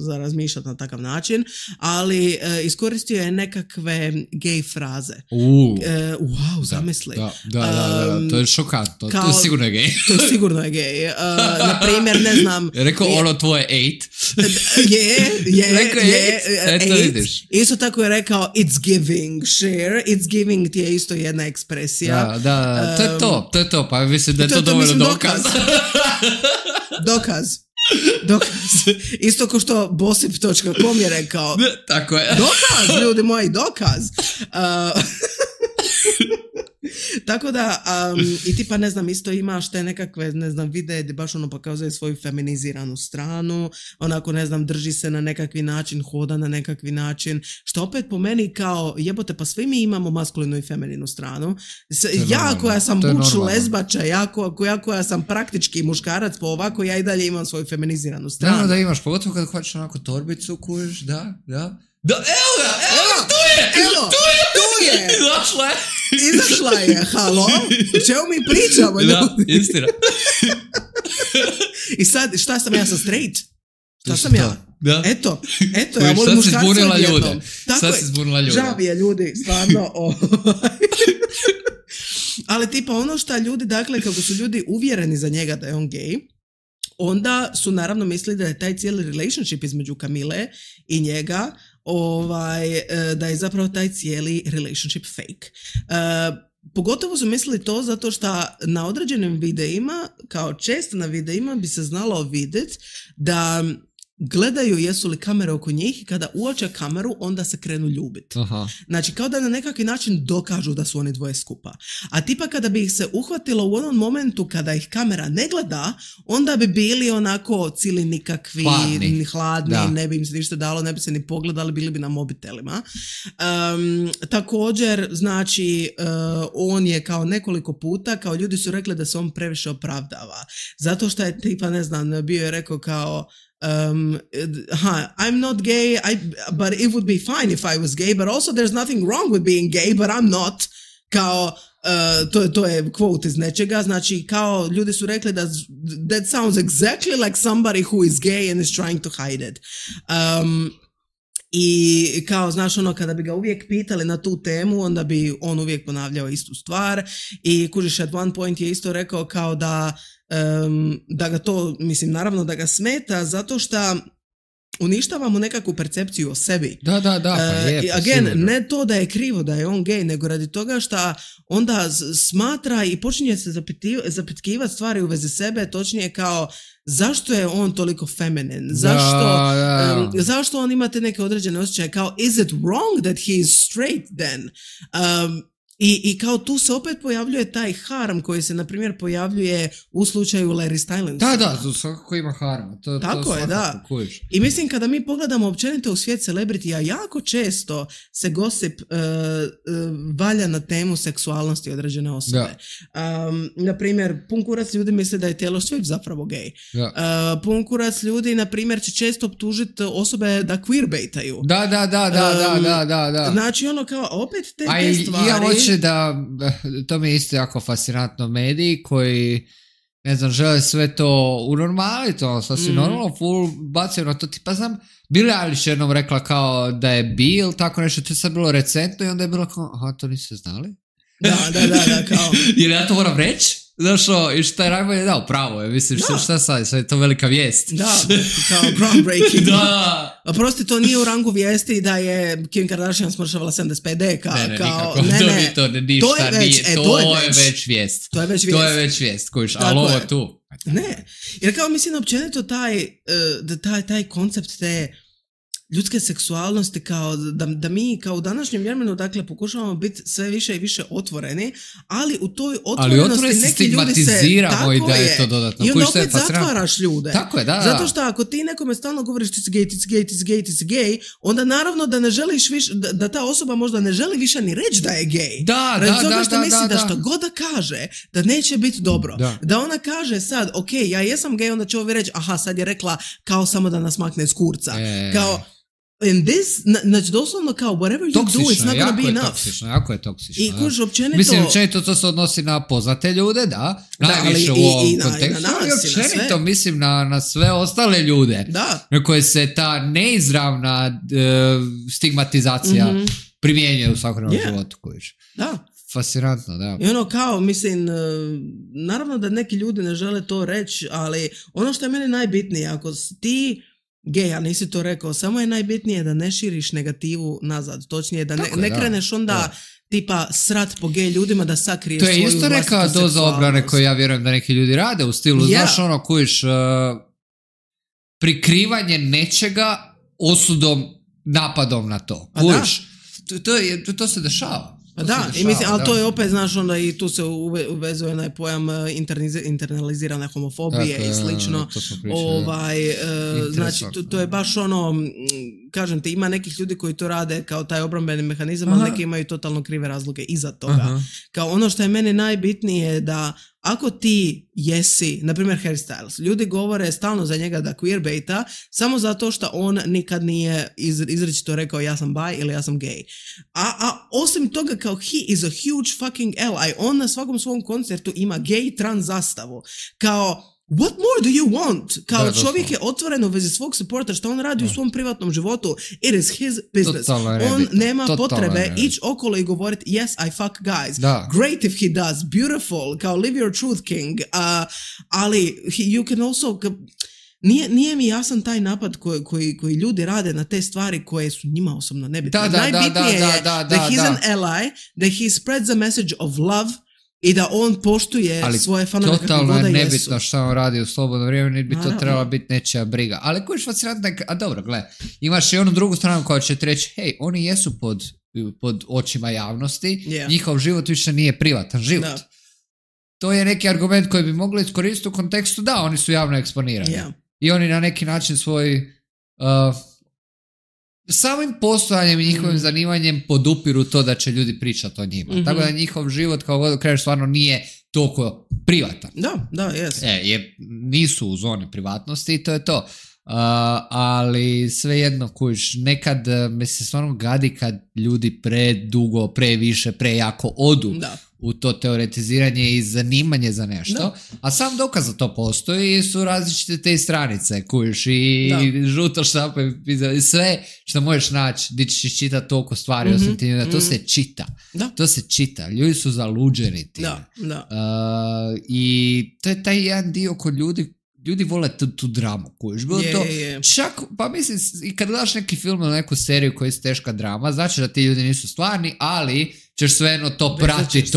za razmišljati na takav način, ali iskoristio je nekakve gay fraze. Wow, zamisli. Da, to je šokantno. To je sigurno gay. To je sigurno gay. Na primjer, ne znam... Rekao ono tvoje 8. Je. Eto vidiš. Isto tako je rekao it's giving, share. It's giving ti je isto jedna ekspresija. Da, to je to. Pa mislim da je to dovoljno dokaz. Dokaz. Isto ko što bossip.com je rekao. Tako je. Dokaz, ljudi moji, dokaz. Tako da, i tipa, ne znam, isto imaš te nekakve, ne znam, videe gdje baš ono pokazuje svoju feminiziranu stranu, onako, ne znam, drži se na nekakvi način, hoda na nekakvi način, što opet po meni kao, jebote, pa svi mi imamo maskulinu i femininu stranu. Ja koja sam buč lezbača, ja koja sam praktički muškarac, po ovako ja i dalje imam svoju feminiziranu stranu. Da imaš, pogotovo kad hoćeš onako torbicu, kužiš, da, evo ga, tu je! Izašla je, halo? O čemu mi pričamo, ljudi? Da, istina. I sad, šta sam ja sa straight? Šta sam ja? Da. Eto, ja volim muškarca odjednom. Sad si zbunila ljude. Žao mi je, ljudi, stvarno. Ali tipa ono što ljudi, dakle, kako su ljudi uvjereni za njega da je on gej, onda su naravno mislili da je taj cijeli relationship između Kamile i njega, da je zapravo taj cijeli relationship fake. Pogotovo su mislili to zato što na određenim videima, kao često na videima, bi se znalo vidjeti da gledaju jesu li kamere oko njih i kada uoče kameru onda se krenu ljubiti. Znači kao da na nekakvi način dokažu da su oni dvoje skupa. A tipa kada bi ih se uhvatilo u onom momentu kada ih kamera ne gleda, onda bi bili onako cili nikakvi, hladni, ne bi im se ništa dalo, ne bi se ni pogledali, bili bi na mobitelima. Također, znači, on je kao nekoliko puta, kao ljudi su rekli da se on previše opravdava. Zato što je tipa, ne znam, bio je rekao kao I'm not gay, but it would be fine if I was gay, but also there's nothing wrong with being gay, but I'm not. Kao, to je quote iz nečega, znači kao ljudi su rekli da that sounds exactly like somebody who is gay and is trying to hide it. I kao, znaš, ono, kada bi ga uvijek pitali na tu temu, onda bi on uvijek ponavljao istu stvar i kužiš, at one point je isto rekao kao da ga to, mislim, naravno da ga smeta zato što uništava mu nekakvu percepciju o sebi. Da, pa je. Again, ne to da je krivo da je on gej, nego radi toga što onda smatra i počinje se zapitkivati stvari u vezi sebe, točnije kao zašto je on toliko feminin? Zašto on ima te neke određene osjećaje? Kao, is it wrong that he is straight then? I kao tu se opet pojavljuje taj harm koji se, na primjer, pojavljuje u slučaju Larry Stylinsa. Da, svakako ima harma. Tako je, da. Kujiš. I mislim, kada mi pogledamo općenito u svijet celebritija, jako često se gossip valja na temu seksualnosti određene osobe. Na primjer, pun kurac ljudi misle da je Taylor Swift zapravo gej. Pun kurac ljudi, na primjer, će često optužiti osobe da queerbaitaju. Da. Znači, ono kao, opet te stvari... da, to mi je isto jako fascinantno, mediji koji, ne znam, žele sve to unormaliti, ono, sasvim normalno, full bacaju na to, tipa znam, Billie Eilish jednom rekla kao da je bi ili tako nešto, to je sad bilo recentno i onda je bilo kao, aha, to niste znali? Da, kao... Jer ja to moram reći? Znaš, i šta je najbolje, da, upravo je, mislim, šta sad je to velika vijest. Da, kao groundbreaking. Da. A prosti, to nije u rangu vijesti da je Kim Kardashian smršavala 75 deka. Ne, to je već vijest. To je već vijest, kojiš, ali ovo tu. Ne, jer kao mislim, općenito taj koncept te ljudske seksualnosti, kao da mi kao u današnjem vremenu, dakle, pokušavamo biti sve više i više otvoreni, ali u toj otvorenosti neki ljudi se... i da je to dodatno. I onda opet zatvaraš ljude. Tako je, da. Zato što ako ti nekome stalno govoriš ti si gay, onda naravno da ne želiš više, da ta osoba možda ne želi više ni reći da je gay. Da, što misli da što god da kaže, da neće biti dobro. Da ona kaže sad, ok, ja jesam gay, onda će ovi reći, aha, sad je rekla kao samo da nas makne iz kurca. Kao, and this, znači doslovno kao whatever you do, it's not gonna be enough. Jako je toksično. I kuž, općenito... Mislim, općenito to se odnosi na poznate ljude, da. Najviše u ovom kontekstu. I općenito, mislim, na sve ostale ljude. Da. Na koje se ta neizravna stigmatizacija primjenjuje u svakodnevnom životu, kojiš. Da. Fascinantno, da. I ono kao, mislim, naravno da neki ljudi ne žele to reći, ali ono što je meni najbitnije, ako ti gej, a nisi to rekao, samo je najbitnije da ne širiš negativu nazad, točnije da ne kreneš onda tipa srat po gej ljudima da sakriješ svoju vlastitu seksualnost. To je isto neka doza obrane koju ja vjerujem da neki ljudi rade u stilu, znaš ono, kojiš prikrivanje nečega osudom, napadom na to. Kojiš, to se dešava. Da, i mislim, ali to je opet, znaš, onda i tu se uvezuje onaj pojam internalizirane homofobije i slično. Znači, to je baš ono, kažem ti, ima nekih ljudi koji to rade kao taj obrambeni mehanizam, ali neki imaju totalno krive razloge iza toga. Kao ono što je meni najbitnije da ako ti jesi, na primjer Harry Styles, ljudi govore stalno za njega da queerbaita samo zato što on nikad nije izričito rekao ja sam bi ili ja sam gay. A osim toga kao he is a huge fucking ally. On na svakom svom koncertu ima gay trans zastavu. Kao what more do you want? Kao čovjek je otvoren u vezi svog supporta što on radi u svom privatnom životu. It is his business. On nema potrebe ići okolo i govoriti yes, I fuck guys. Great if he does. Beautiful. Kao live your truth king. Ali you can also... Nije mi jasan taj napad koji ljudi rade na te stvari koje su njima osobno nebitne. Najbitnije je da he's an ally, da he spreads a message of love i da on poštuje svoje fanove kako god da jesu. Totalno je nebitno što on radi u slobodno vrijeme, niti bi to trebala biti nečija briga. Ali koji je fascinantno, a dobro, gle, imaš i onu drugu stranu koja će ti reći, hej, oni jesu pod očima javnosti, njihov život više nije privatan život. To je neki argument koji bi mogli iskoristiti u kontekstu, da, oni su javno eksponirani. I oni na neki način svoj samim postojanjem i njihovim zanimanjem podupiru to da će ljudi pričati o njima. Tako da njihov život kao god krenu stvarno nije toliko privatan. Da, jes. Nisu u zoni privatnosti i to je to. Ali svejedno kuš, nekad me se stvarno gadi kad ljudi predugo, previše, prejako odu u to teoretiziranje i zanimanje za nešto, a sam dokaz za to postoji su različite te stranice kuš i žuto štampa i sve što možeš naći gdje ćeš čitati toliko stvari osim ti, to se čita. To se čita. Ljudi su zaluđeni tim. I to je taj jedan dio kod ljudi vole tu dramu koju je bilo to. Čak, pa mislim, i kad gledaš neki film ili neku seriju koja je teška drama, znači da ti ljudi nisu stvarni, ali ćeš svejedno to pratiti,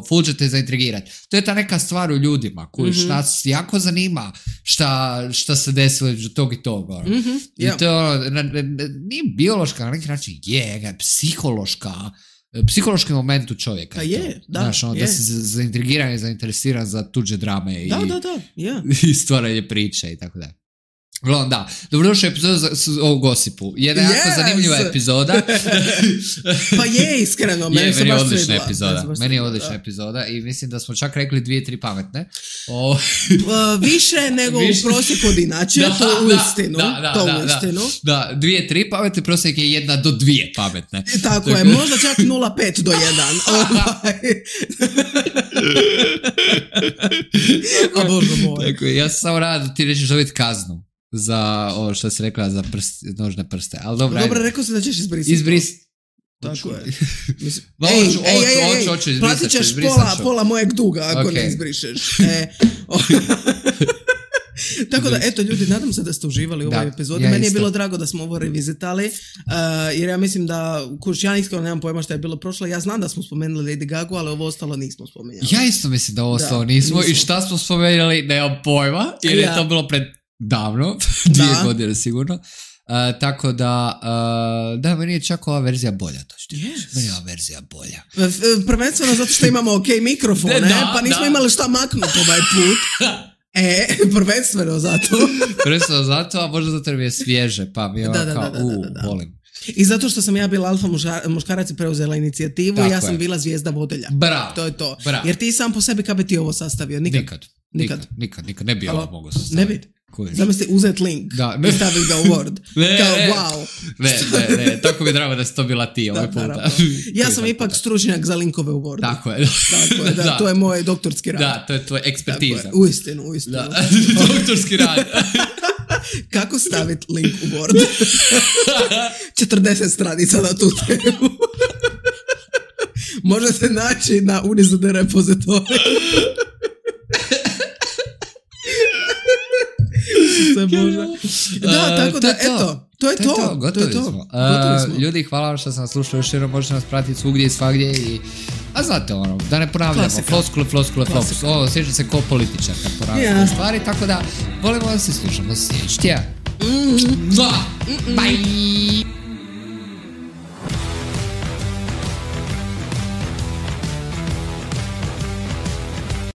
full će te zaintrigirati. To je ta neka stvar u ljudima koju nas jako zanima šta se desilo između tog i tog. I to je nije biološka, na neki način je psihološki moment u čovjeka. Znaš, da si zaintrigiran i zainteresiran za tuđe drame i stvaranje priče i tako da. Uglavnom, da. Dobrodošli u epizodu o Gosipu. Jedna jako zanimljiva epizoda. Pa je, iskreno. Meni je odlična epizoda. Meni je odlična epizoda i mislim da smo čak rekli 2-3 pametne. Više nego u prosjeku od inače. To u istinu. Da, 2-3 pametne, prosjek je 1 do 2 pametne. Tako je, možda čak 0,5 do 1. A Bože moj. Tako je, ja sam samo rada da ti rećeš dobiti kaznu za ovo što si rekla za nožne prste. Ali dobro, rekao si da ćeš izbrisati. Tako je. Hoću izbrisati. Platit ćeš pola mojeg duga ako ne izbrišeš. Tako da, eto ljudi, nadam se da ste uživali u ovoj epizodi. Meni je bilo drago da smo ovo revizitali, jer ja mislim da, ja iskreno nemam pojma što je bilo prošlo. Ja znam da smo spomenuli Lady Gaga, ali ovo ostalo nismo spomenuli. Ja isto mislim da ovo ostalo nismo. I šta smo spomenuli, nemam pojma, jer je to bilo pred davno, 2 godine sigurno. Tako da, meni je čak ova verzija bolja. Meni je ova verzija bolja. Prvenstveno zato što imamo ok mikrofone, pa nismo imali šta maknuti ovaj put. Prvenstveno zato, a možda zato mi je svježe, pa mi je volim. I zato što sam ja bila alfa muškarac i preuzela inicijativu, ja sam bila zvijezda vodilja. Bravo. To je to. Bravo. Jer ti sam po sebi kad bi ti ovo sastavio? Nikad. Ne bi ovo mogao sastaviti. Ne bi. Zamisli uzet link i staviti ga u Word. Kao wow. Ne, tako mi drago da si to bila ti ovaj puta. Ja sam ipak stručnjak za linkove u Wordu. Tako je, to je moj doktorski rad. Da, to je tvoj ekspertiza. Uistinu. Doktorski rad. Kako staviti link u Word? 40 stranica na tu temu. Možete naći na Unizode repozitoriju. Da, tako da, eto, to je to. Gotovi smo. Ljudi, hvala vam što sam nas slušao još jednom, možete nas pratiti svugdje i svagdje a znate da ne ponavljamo, floskule, osjeća se ko političar kad ponavljamo stvari, tako da volimo da se slušamo sljedeći tjedan. Bye!